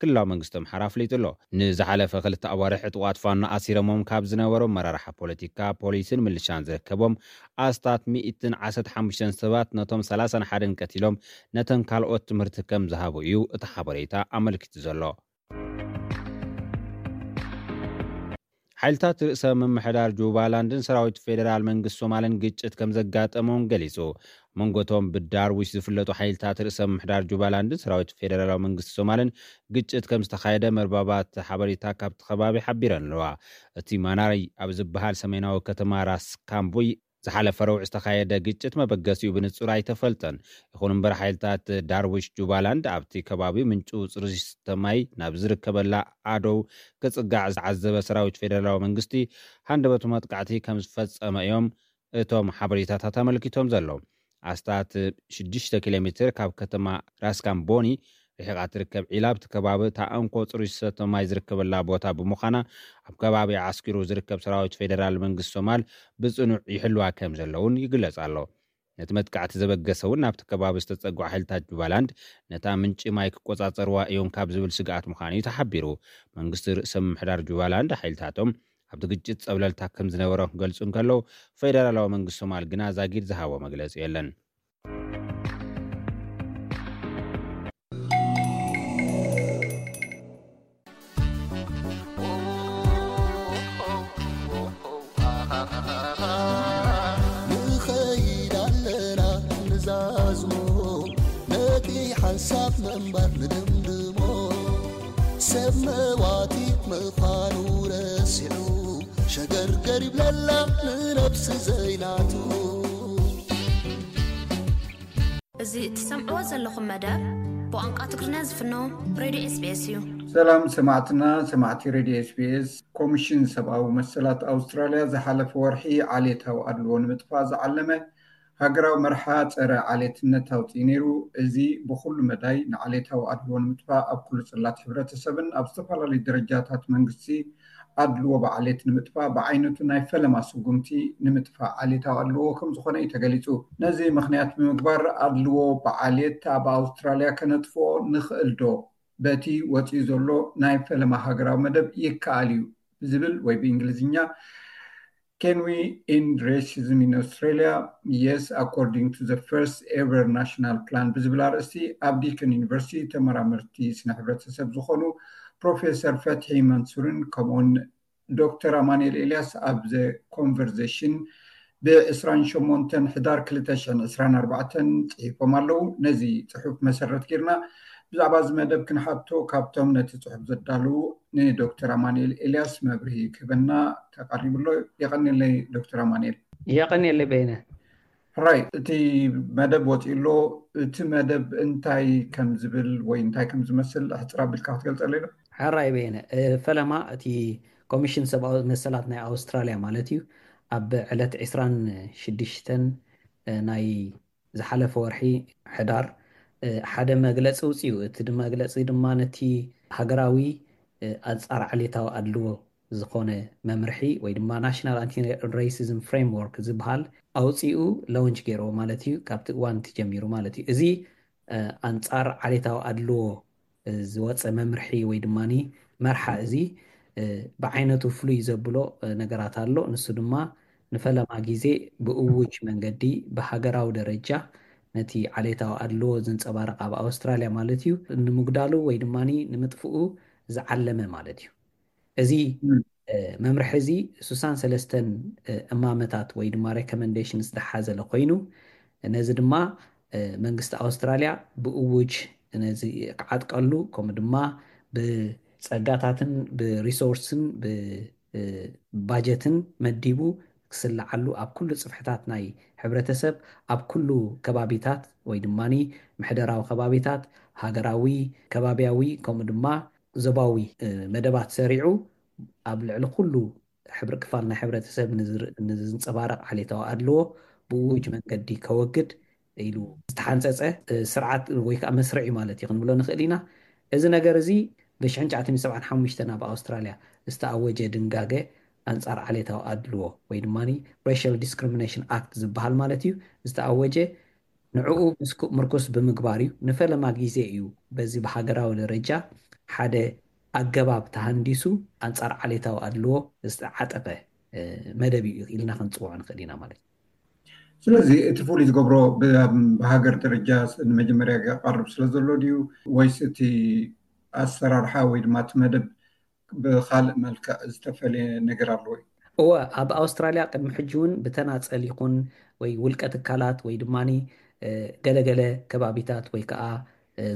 ክልላዊ መንግስቲ ኣምሓራ ኣፍሊጡ ኣሎ። ንዝሓለፈ ክልተ ኣዋርሕ ዕጡቓት ፋኖ ኣሲሮሞም ካብ ዝነበሩ ኣመራርሓ ፖለቲካ፣ ፖሊስን ምልሻን ዝርከቦም ኣስታት ሚእትን ዓሰርተ ሓሙሽተን ሰባት ነቶም ሰላሳን ሓደን ቀቲሎም ነተን ካልኦት ትምህርቲ ከም ዝሃቡ እዩ እቲ ሓበሬታ ኣመልኪቱ ዘሎ። ሓይልታት ርእሰ ምምሕዳር ጁባላንድን ሰራዊት ፌደራል መንግስቲ ሶማልን ግጭት ከም ዘጋጠሞም ገሊጹ። መንጎቶም ብዳርዊሽ ዝፍለጡ ሓይልታት ርእሰ ምምሕዳር ጁባላንድን ሰራዊት ፌደራላዊ መንግስቲ ሶማልን ግጭት ከም ዝተኻየደ መርባባት ሓበሬታ ካብቲ ከባቢ ሓቢረን ኣለዋ። እቲ ማናሪ ኣብ ዝበሃል ሰሜናዊ ከተማ ራስ ካምቡይ ዝሓለፈ ረቡዕ ዝተኻየደ ግጭት መበገሲኡ ብንጹር ኣይተፈልጠን። ይኹን እምበር ሓይልታት ዳርዊሽ ጁባላንድ ኣብቲ ከባቢ ምንጩ ጽሩይ ዝስተ ማይ ናብ ዝርከበላ ኣደው ክጽጋዕ ዝተዓዘበ ሰራዊት ፌደራላዊ መንግስቲ ሃንደበቱ መጥቃዕቲ ከም ዝፈጸመ እዮም እቶም ሓበሬታታት ኣመልኪቶም ዘለዉ። ኣስታት ሽዱሽተ ኪሎ ሜትር ካብ ከተማ ራስካምቦኒ ርሒቓ ትርከብ ዒላ ኣብቲ ከባቢ እታ እንኮ ጽሩይ ዝስተ ማይ ዝርከበላ ቦታ ብምዃና ኣብ ከባቢ ዓስኪሩ ዝርከብ ሰራዊት ፌደራል መንግስቲ ሶማል ብጽኑዕ ይሕልዋ ከም ዘለውን ይግለጽ ኣሎ። ነቲ መጥቃዕቲ ዘበገሰ እውን ናብቲ ከባቢ ዝተጸግዑ ሓይልታት ጁባላንድ ነታ ምንጪ ማይ ክቆጻጸርዋ እዮም ካብ ዝብል ስግኣት ምዃኑ እዩ ተሓቢሩ። መንግስቲ ርእሰ ምምሕዳር ጁባላንድ ሓይልታቶም ኣብቲ ግጭት ጸብለልታ ከም ዝነበሮም ክገልጹ እንከለዉ፣ ፌደራላዊ መንግስቲ ሶማል ግና ዛጊድ ዝሃቦ መግለጺ የለን። ንኸይድ ኣለና ንዛዝሞ ነቲ ሓንሳብ ምንባር ንድምድሞ ሰብ መዋቲ ምዃኑ ረሲዑ ሸገርገር ይብለላ ንነብሲ ዘይናቱ። እዚ እትሰምዕዎ ዘለኹም መደብ ብቋንቋ ትግርኛ ዝፍኖ ሬድዮ ኤስቢኤስ እዩ። ሰላም ሰማዕትና ሰማዕቲ ሬድዮ ኤስቢኤስ። ኮሚሽን ሰብኣዊ መሰላት ኣውስትራልያ ዝሓለፈ ወርሒ ዓሌታዊ ኣድልዎ ንምጥፋእ ዝዓለመ ሃገራዊ መርሓ ጸረ ዓሌትነት ኣውፅኡ ነይሩ። እዚ ብኹሉ መዳይ ንዓሌታዊ ኣድልዎ ንምጥፋእ ኣብ ኩሉ ጽላት ሕብረተሰብን ኣብ ዝተፈላለዩ ደረጃታት መንግስቲ ኣድልዎ ብዓሌት ንምጥፋእ ብዓይነቱ ናይ ፈለማ ስጉምቲ ንምጥፋእ ዓሌታዊ ኣድልዎ ከም ዝኾነ እዩ ተገሊጹ። ነዚ ምኽንያት ብምግባር ኣድልዎ ብዓሌት ኣብ ኣውስትራልያ ከነጥፍኦ ንኽእል ዶ? በቲ ወፂኡ ዘሎ ናይ ፈለማ ሃገራዊ መደብ ይከኣል እዩ ዝብል ወይ ብእንግሊዝኛ Can we end racism in Australia? Yes, according to the first ever national plan ብዝብል ኣርእስቲ ኣብ ዲከን ዩኒቨርሲቲ ተመራመርቲ ስነ ሕብረተሰብ ዝኾኑ ፕሮፌሰር ፈትሒ መንሱርን ከምኡውን ዶክተር ኣማኑኤል ኤልያስ ኣብ ዘ ኮንቨርዜሽን ብ ዕስራን ሸሞንተን ሕዳር ክልተ ሽሕን ዕስራን ኣርባዕተን ጽሒፎም ኣለዉ። ነዚ ጽሑፍ መሰረት ጌርና ብዛዕባ እዚ መደብ ክንሓቶ ካብቶም ነቲ ጽሑፍ ዘዳለዉ ንዶክተር ኣማኑኤል ኤልያስ መብርሂ ክህበና ተቐሪቡ ኣሎ። የቐንየለይ ዶክተር ኣማኑኤል። የቐንየለይ በይነ። ሕራይ፣ እቲ መደብ ወፂኡ ኣሎ። እቲ መደብ እንታይ ከም ዝብል ወይ እንታይ ከም ዝመስል ሕፅር ኣቢልካ ክትገልፀለይ ዶ? ሕራይ በየነ፣ ፈለማ እቲ ኮሚሽን ሰብኣዊ መሰላት ናይ ኣውስትራልያ ማለት እዩ ኣብ ዕለት ዕስራን ሽዱሽተን ናይ ዝሓለፈ ወርሒ ሕዳር ሓደ መግለፂ ውፅኡ። እቲ መግለፂ ድማ ነቲ ሃገራዊ ኣንጻር ዓሌታዊ ኣድልዎ ዝኾነ መምርሒ ወይ ድማ National Anti-Racism Framework ዝበሃል ኣውፂኡ ሎንች ገይርዎ ማለት እዩ። ካብቲ እዋን እቲ ጀሚሩ ማለት እዩ። እዚ ኣንጻር ዓሌታዊ ኣድልዎ ዝወፀ መምርሒ ወይ ድማ መርሓ እዚ ብዓይነቱ ፍሉይ ዘብሎ ነገራት ኣሎ። ንሱ ድማ ንፈለማ ግዜ ብእውጅ መንገዲ ብሃገራዊ ደረጃ ነቲ ዓሌታዊ ኣድልዎ ዘንጸባርቕ ኣብ ኣውስትራልያ ማለት እዩ ንምጉዳሉ ወይ ድማ ንምጥፍኡ ዝዓለመ ማለት እዩ። እዚ መምርሒ እዚ ሱሳን ሰለስተን እማመታት ወይ ድማ ሬኮመንዴሽንስ ዝሓዘለ ኮይኑ ነዚ ድማ መንግስቲ ኣውስትራልያ ብእውጅ ነዚ ክዓጥቀሉ ከምኡ ድማ ብጸጋታትን ብሪሶርስን ብባጀትን መዲቡ ክስልዓሉ ኣብ ኩሉ ጽፍሕታት ናይ ሕብረተሰብ ኣብ ኩሉ ከባቢታት ወይ ድማ ምሕደራዊ ከባቢታት ሃገራዊ ከባቢያዊ ከምኡ ድማ ዞባዊ መደባት ሰሪዑ ኣብ ልዕሊ ኩሉ ሕብሪ ክፋል ናይ ሕብረተሰብ ንዝንፀባረቕ ዓሌታዊ ኣድልዎ ብውጅ መንገዲ ከወግድ ኢሉ ዝተሓንፀፀ ስርዓት ወይ ከዓ መስርዒ ማለት እዩ ክንብሎ ንኽእል ኢና። እዚ ነገር እዚ ብ1975 ኣብ ኣውስትራልያ ዝተኣወጀ ድንጋገ ኣንጻር ዓሌታዊ ኣድልዎ ወይ ድማ Racial Discrimination Act ዝበሃል ማለት እዩ ዝተኣወጀ ንዕኡ ምርኩስ ብምግባር እዩ። ንፈለማ ግዜ እዩ በዚ ብሃገራዊ ደረጃ ሓደ ኣገባብ ተሃንዲሱ ኣንጻር ዓሌታዊ ኣድልዎ ዝተዓጠቐ መደብ እዩ ኢልና ክንፅውዖ ንኽእል ኢና ማለት እዩ። ስለዚ እቲ ፍሉይ ዝገብሮ ብሃገር ደረጃ ንመጀመርያ ቀርብ ስለ ዘሎ ድዩ ወይስ እቲ ኣሰራርሓ ወይ ድማ እቲ መደብ ብካልእ መልክዕ ዝተፈለየ ነገር ኣለዎ እዩ? እወ፣ ኣብ ኣውስትራልያ ቅድሚ ሕጂ እውን ብተናፀል ይኹን ወይ ውልቀ ትካላት ወይ ድማ ገለገለ ከባቢታት ወይ ከዓ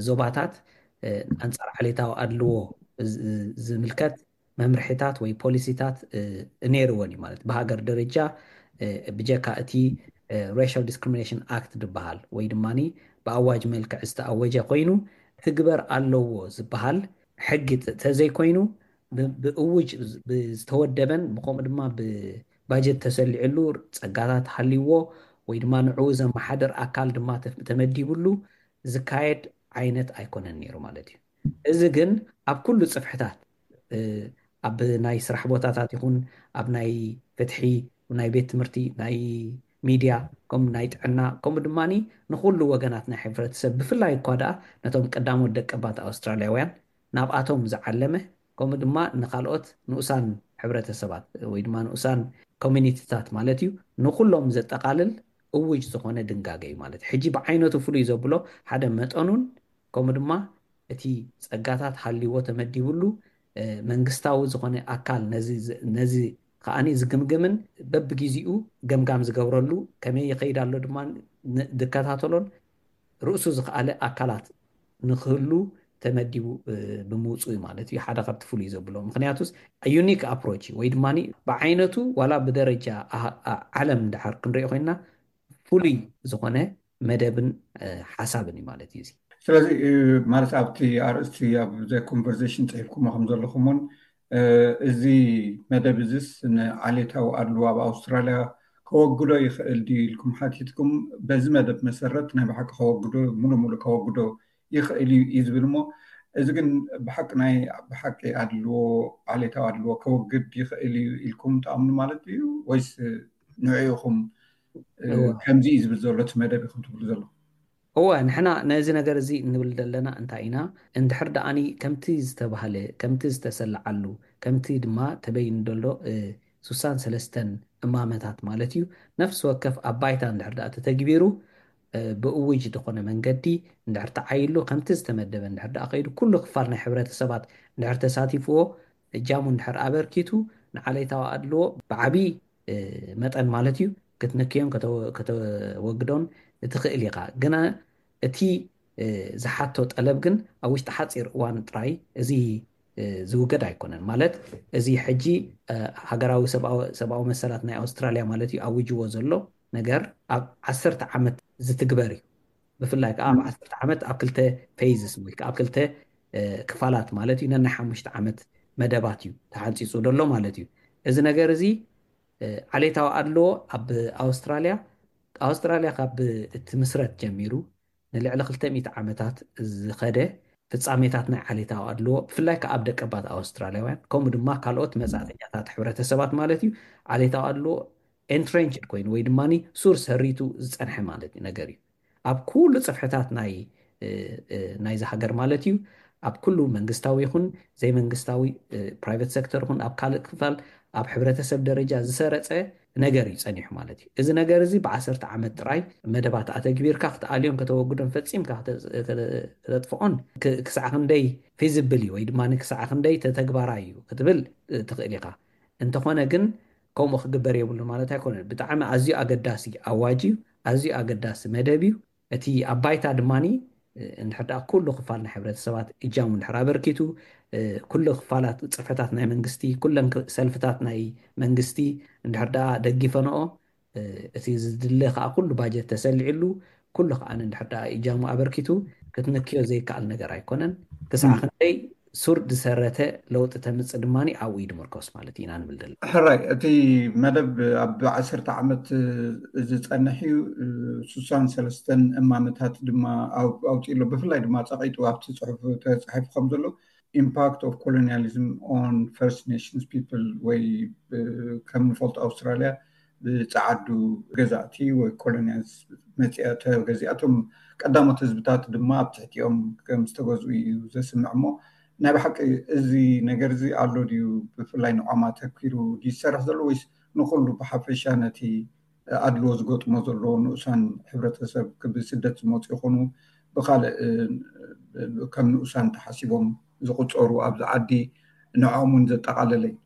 ዞባታት ኣንፃር ዓሌታዊ ኣድልዎ ዝምልከት መምርሒታት ወይ ፖሊሲታት ነይርወን እዩ ማለት ብሃገር ደረጃ ብጀካ እቲ Racial Discrimination Act ዝበሃል ወይ ድማ ብኣዋጅ መልክዕ ዝተኣወጀ ኮይኑ ትግበር ኣለዎ ዝበሃል ሕጊ ተዘይኮይኑ ብእውጅ ብዝተወደበን ብከምኡ ድማ ብባጀት ተሰሊዕሉ ፀጋታት ሃልይዎ ወይ ድማ ንዕኡ ዘመሓደር ኣካል ድማ ተመዲብሉ ዝካየድ ዓይነት ኣይኮነን ነይሩ ማለት እዩ። እዚ ግን ኣብ ኩሉ ፅፍሕታት ኣብ ናይ ስራሕ ቦታታት ይኹን ኣብ ናይ ፍትሒ ናይ ቤት ትምህርቲ ናይ ሚድያ ከም ናይ ጥዕና ከምኡ ድማ ንኩሉ ወገናት ናይ ሕብረተሰብ ብፍላይ እኳ ደኣ ነቶም ቀዳሞት ደቀባት ኣውስትራልያውያን ናብኣቶም ዝዓለመ ከምኡ ድማ ንካልኦት ንኡሳን ሕብረተሰባት ወይ ድማ ንኡሳን ኮሚኒቲታት ማለት እዩ ንኩሎም ዘጠቃልል እውጅ ዝኾነ ድንጋገ እዩ ማለት ሕጂ ብዓይነቱ ፍሉይ ዘብሎ ሓደ መጠኑን ከምኡ ድማ እቲ ጸጋታት ሃልይዎ ተመዲብሉ መንግስታዊ ዝኾነ ኣካል ነዚ ከዓኒ ዝግምግምን በብግዜኡ ገምጋም ዝገብረሉ ከመይ ይኸይድ ኣሎ ድማ ዝከታተሎን ርእሱ ዝኸኣለ ኣካላት ንክህሉ ተመዲቡ ብምውፅኡ ማለት እዩ ሓደ ካብቲ ፍሉይ ዘብሎ ምክንያቱስ unique approach ወይ ድማ ብዓይነቱ ዋላ ብደረጃ ዓለም ድሓር ክንሪኦ ኮይና ፍሉይ ዝኾነ መደብን ሓሳብን እዩ ማለት እዩ። ስለዚ ማለት ኣብቲ ኣርእስቲ ኣብ ዘ ኮንቨርሴሽን ፅሒፍኩሞ ከም ዘለኹም እውን እዚ መደብ እዚስ ንዓሌታዊ ኣድልዎ ኣብ ኣውስትራልያ ከወግዶ ይኽእል ድዩ ኢልኩም ሓቲትኩም። በዚ መደብ መሰረት ናይ ብሓቂ ከወግዶ ሙሉ ሙሉ ከወግዶ ይኽእል እዩ እዩ ዝብል እሞ እዚ ግን ብሓቂ ናይ ብሓቂ ኣድልዎ ዓሌታዊ ኣድልዎ ከወግድ ይኽእል እዩ ኢልኩም ትኣምኑ ማለት እዩ ወይስ ንዕኢኹም ከምዚ እዩ ዝብል ዘሎ እቲ መደብ ኢኹም ትብሉ ዘለኹም? እወ ንሕና ነዚ ነገር እዚ እንብል ዘለና እንታይ ኢና እንድሕር ደኣኒ ከምቲ ዝተባህለ ከምቲ ዝተሰለዓሉ ከምቲ ድማ ተበይኑ ዘሎ ሱሳን ሰለስተን እማመታት ማለት እዩ ነፍሲ ወከፍ ኣብ ባይታ እንድሕር ደኣ ተተግቢሩ ብእውጅ ዝኾነ መንገዲ እንድሕር ተዓይሉ ከምቲ ዝተመደበ እንድሕር ደኣ ከይዱ ኩሉ ክፋል ናይ ሕብረተሰባት እንድሕር ተሳቲፍዎ እጃሙ እንድሕር ኣበርኪቱ ንዓሌታዊ ኣድልዎ ብዓብዪ መጠን ማለት እዩ ክትንክዮን ከተወግዶን ትኽእል ኢኻ። ግና እቲ ዝሓቶ ጠለብ ግን ኣብ ውሽጢ ሓፂር እዋን ጥራይ እዚ ዝውገድ ኣይኮነን። ማለት እዚ ሕጂ ሃገራዊ ሰብኣዊ መሰላት ናይ ኣውስትራልያ ማለት እዩ ኣውጅዎ ዘሎ ነገር ኣብ ዓሰርተ ዓመት ዝትግበር እዩ። ብፍላይ ከዓ ኣብ ዓሰርተ ዓመት ኣብ ክልተ ፌዝስ ወይ ከዓ ኣብ ክልተ ክፋላት ማለት እዩ ነናይ ሓሙሽተ ዓመት መደባት እዩ ተሓንፂፁ ዘሎ ማለት እዩ። እዚ ነገር እዚ ዓሌታዊ ኣድልዎ ኣብ ኣውስትራልያ ኣውስትራልያ ካብ እትምስረት ጀሚሩ ንልዕሊ ክልተ ሚእቲ ዓመታት ዝኸደ ፍጻሜታት ናይ ዓሌታዊ ኣድልዎ፣ ብፍላይ ከኣ ኣብ ደቀባት ኣውስትራልያውያን፣ ከምኡ ድማ ካልኦት መጻእተኛታት ሕብረተሰባት ማለት እዩ፣ ዓሌታዊ ኣድልዎ entrenched ኮይኑ ወይ ድማ ሱር ሰሪቱ ዝጸንሐ ማለት እዩ፣ ነገር እዩ። ኣብ ኩሉ ጽፍሕታት ናይ ናይዚ ሃገር ማለት እዩ፣ ኣብ ኩሉ መንግስታዊ ይኹን ዘይመንግስታዊ፣ ፕራይቬት ሴክተር ይኹን ኣብ ካልእ ክፋል ኣብ ሕብረተሰብ ደረጃ ዝሰረጸ ነገር እዩ ጸኒሑ ማለት እዩ። እዚ ነገር እዚ ብዓሰርተ ዓመት ጥራይ መደባት ኣተግቢርካ ክትኣልዮን ከተወግዶን ፈጺምካ ከተጥፍኦን ክሳዕ ክንደይ ፊዚብል እዩ ወይ ድማ ክሳዕ ክንደይ ተተግባራይ እዩ ክትብል ትኽእል ኢኻ። እንተኾነ ግን ከምኡ ክግበር የብሉ ማለት ኣይኮነን። ብጣዕሚ ኣዝዩ ኣገዳሲ ኣዋጅ እዩ፣ ኣዝዩ ኣገዳሲ መደብ እዩ። እቲ ኣብ ባይታ ድማ እንድሕር ደኣ ኩሉ ክፋል ናይ ሕብረተሰባት እጃሙ እንድሕር ኣበርኪቱ፣ ኩሉ ክፋላት ጽፍሕታት ናይ መንግስቲ፣ ኩለን ሰልፍታት ናይ መንግስቲ እንድሕር ደኣ ደጊፈንኦ፣ እቲ ዝድለ ከዓ ኩሉ ባጀት ተሰሊዕሉ፣ ኩሉ ከዓ እንድሕር ደኣ እጃሙ ኣበርኪቱ ክትንክዮ ዘይከኣል ነገር ኣይኮነን። ክሳዕ ክንደይ ሱር ዝሰረተ ለውጢ ተምፅእ ድማ ኣብኡ እዩ ድምርኮስ ማለት ኢና ንብል ዘለና። ሕራይ፣ እቲ መደብ ኣብ ዓሰርተ ዓመት ዝፀንሕ እዩ። ሱሳን ሰለስተን እማመታት ድማ ኣውፂእሎ። ብፍላይ ድማ ፀቂጡ ኣብቲ ፅሑፍ ተፃሒፉ ከም ዘሎ impact of colonialism on First Nations people ወይ ከም ንፈልጦ ኣውስትራልያ ብፀዓዱ ገዛእቲ ወይ ኮሎኒያልስ መፅኣ ተገዚኣቶም ቀዳሞት ህዝብታት ድማ ኣብ ትሕቲኦም ከም ዝተገዝኡ እዩ ዘስምዕ። እሞ ናይ ብሓቂ እዚ ነገር እዚ ኣሎ ድዩ? ብፍላይ ንዖማ ተኪሩ ድዩ ዝሰርሕ ዘሎ ወይስ ንኩሉ ብሓፈሻ ነቲ ኣድልዎ ዝገጥሞ ዘሎ ንኡሳን ሕብረተሰብ ብስደት ዝመፁ ይኹኑ ብካልእ ከም ንኡሳን ተሓሲቦም ዝቁፀሩ ኣብዚ ዓዲ ንዖም እውን ዘጠቓለለ እዩ?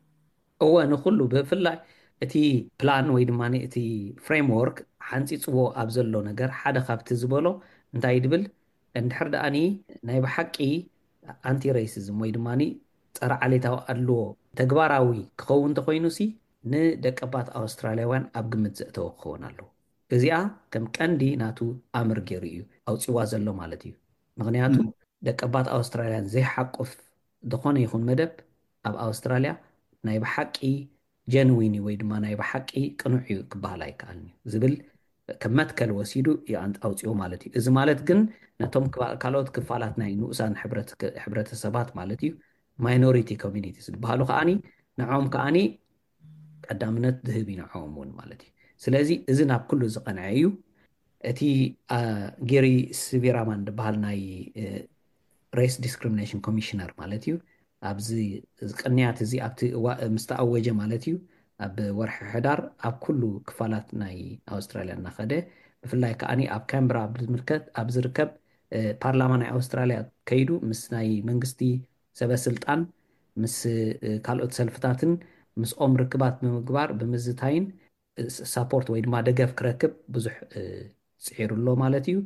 እወ፣ ንኩሉ ብፍላይ እቲ ፕላን ወይ ድማ እቲ ፍሬምወርክ ሓንፂፅዎ ኣብ ዘሎ ነገር ሓደ ካብቲ ዝበሎ እንታይ ድብል እንድሕር ደኣኒ ናይ ብሓቂ ኣንቲ ሬሲዝም ወይ ድማ ጸረ ዓሌታዊ ኣድልዎ ተግባራዊ ክኸውን እንተኮይኑ ሲ ንደቀባት ኣውስትራልያውያን ኣብ ግምት ዘእተወ ክኸውን ኣለዎ። እዚኣ ከም ቀንዲ ናቱ ኣምር ገይሩ እዩ ኣውፅዋ ዘሎ ማለት እዩ። ምክንያቱ ደቀባት ኣውስትራልያን ዘይሓቁፍ ዝኾነ ይኹን መደብ ኣብ ኣውስትራልያ ናይ ብሓቂ ጀንዊን ወይ ድማ ናይ ብሓቂ ቅኑዕ እዩ ክበሃል ኣይከኣልን እዩ ዝብል ከም መትከል ወሲዱ ይኣንጥ ኣውፅኡ ማለት እዩ። እዚ ማለት ግን ነቶም ካልኦት ክፋላት ናይ ንኡሳን ሕብረተሰባት ማለት እዩ ማይኖሪቲ ኮሚኒቲ ዝበሃሉ ከዓኒ ንዖም ከዓኒ ቀዳምነት ዝህብ እዩ ንዖም እውን ማለት እዩ። ስለዚ እዚ ናብ ኩሉ ዝቐንዐ እዩ። እቲ ጌሪ ስቪራማን ዝበሃል ናይ ሬስ ዲስክሪሚኔሽን ኮሚሽነር ማለት እዩ ኣብዚ ቅንያት እዚ ኣብቲ ምስ ተኣወጀ ማለት እዩ ኣብ ወርሒ ሕዳር ኣብ ኩሉ ክፋላት ናይ ኣውስትራልያ እናኸደ ብፍላይ ከዓኒ ኣብ ካምብራ ኣብ ዝርከብ ፓርላማ ናይ ኣውስትራልያ ከይዱ ምስ ናይ መንግስቲ ሰበ ስልጣን ምስ ካልኦት ሰልፍታትን ምስኦም ርክባት ብምግባር ብምዝታይን ሳፖርት ወይ ድማ ደገፍ ክረክብ ብዙሕ ፅዒሩ ኣሎ ማለት እዩ።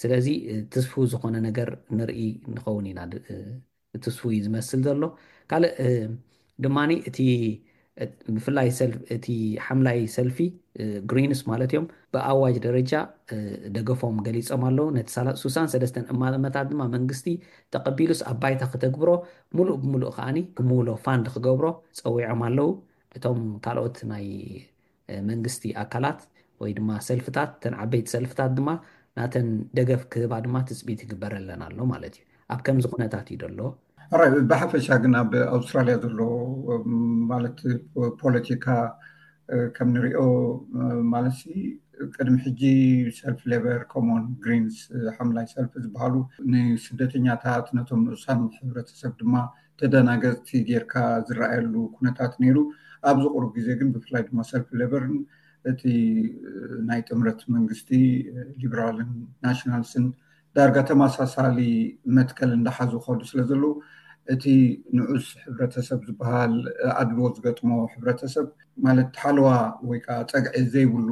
ስለዚ ትስፉ ዝኾነ ነገር ንርኢ ንኸውን ኢና። ትስፉ እዩ ዝመስል ዘሎ። ካልእ ድማ እቲ ብፍላይ እቲ ሓምላይ ሰልፊ ግሪንስ ማለት እዮም ብኣዋጅ ደረጃ ደገፎም ገሊፆም ኣለዉ። ነቲ ሱሳን ሰለስተን እማመታት ድማ መንግስቲ ተቐቢሉስ ኣብ ባይታ ክተግብሮ ሙሉእ ብሙሉእ ከዓኒ ክምውሎ ፋንድ ክገብሮ ፀዊዖም ኣለዉ። እቶም ካልኦት ናይ መንግስቲ ኣካላት ወይ ድማ ሰልፍታት ተን ዓበይቲ ሰልፍታት ድማ ናተን ደገፍ ክህባ ድማ ትፅቢት ይግበረለን ኣሎ ማለት እዩ። ኣብ ከምዚ ኩነታት እዩ ዘሎ። ብሓፈሻ ግን ኣብ ኣውስትራልያ ዘሎ ማለት ፖለቲካ ከም ንሪኦ ማለት ቅድሚ ሕጂ ሰልፊ ሌበር ኮሞን ግሪንስ ሓምላይ ሰልፊ ዝበሃሉ ንስደተኛታት ነቶም ንኡሳን ሕብረተሰብ ድማ ተደናገፅቲ ጌርካ ዝረኣየሉ ኩነታት ነይሩ። ኣብዚ ቁሩብ ግዜ ግን ብፍላይ ድማ ሰልፊ ሌበርን እቲ ናይ ጥምረት መንግስቲ ሊበራልን ናሽናልስን ዳርጋ ተመሳሳሊ መትከል እንዳሓዙ ከዱ ስለ ዘለዉ እቲ ንዑስ ሕብረተሰብ ዝበሃል ኣድልዎ ዝገጥሞ ሕብረተሰብ ማለት ሓለዋ ወይ ከዓ ፀግዒ ዘይብሉ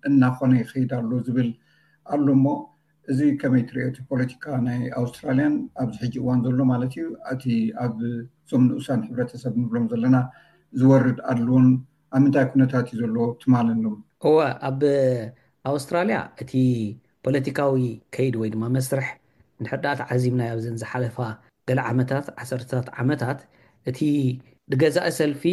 እናኾነ ይኸይድ ኣሎ ዝብል ኣሎ። እሞ እዚ ከመይ ትሪኦ? እቲ ፖለቲካ ናይ ኣውስትራልያን ኣብዚ ሕጂ እዋን ዘሎ ማለት እዩ እቲ ኣብ እዞም ንኡሳን ሕብረተሰብ ንብሎም ዘለና ዝወርድ ኣድልዎን ኣብ ምንታይ ኩነታት እዩ ዘሎ ትማል ኣሎም? እወ፣ ኣብ ኣውስትራልያ እቲ ፖለቲካዊ ከይድ ወይ ድማ መስርሕ እንድሕር ደኣ ተዓዚብናዮ ኣብዘን ዝሓለፋ ገለ ዓመታት ዓሰርተታት ዓመታት እቲ ዝገዛኢ ሰልፊ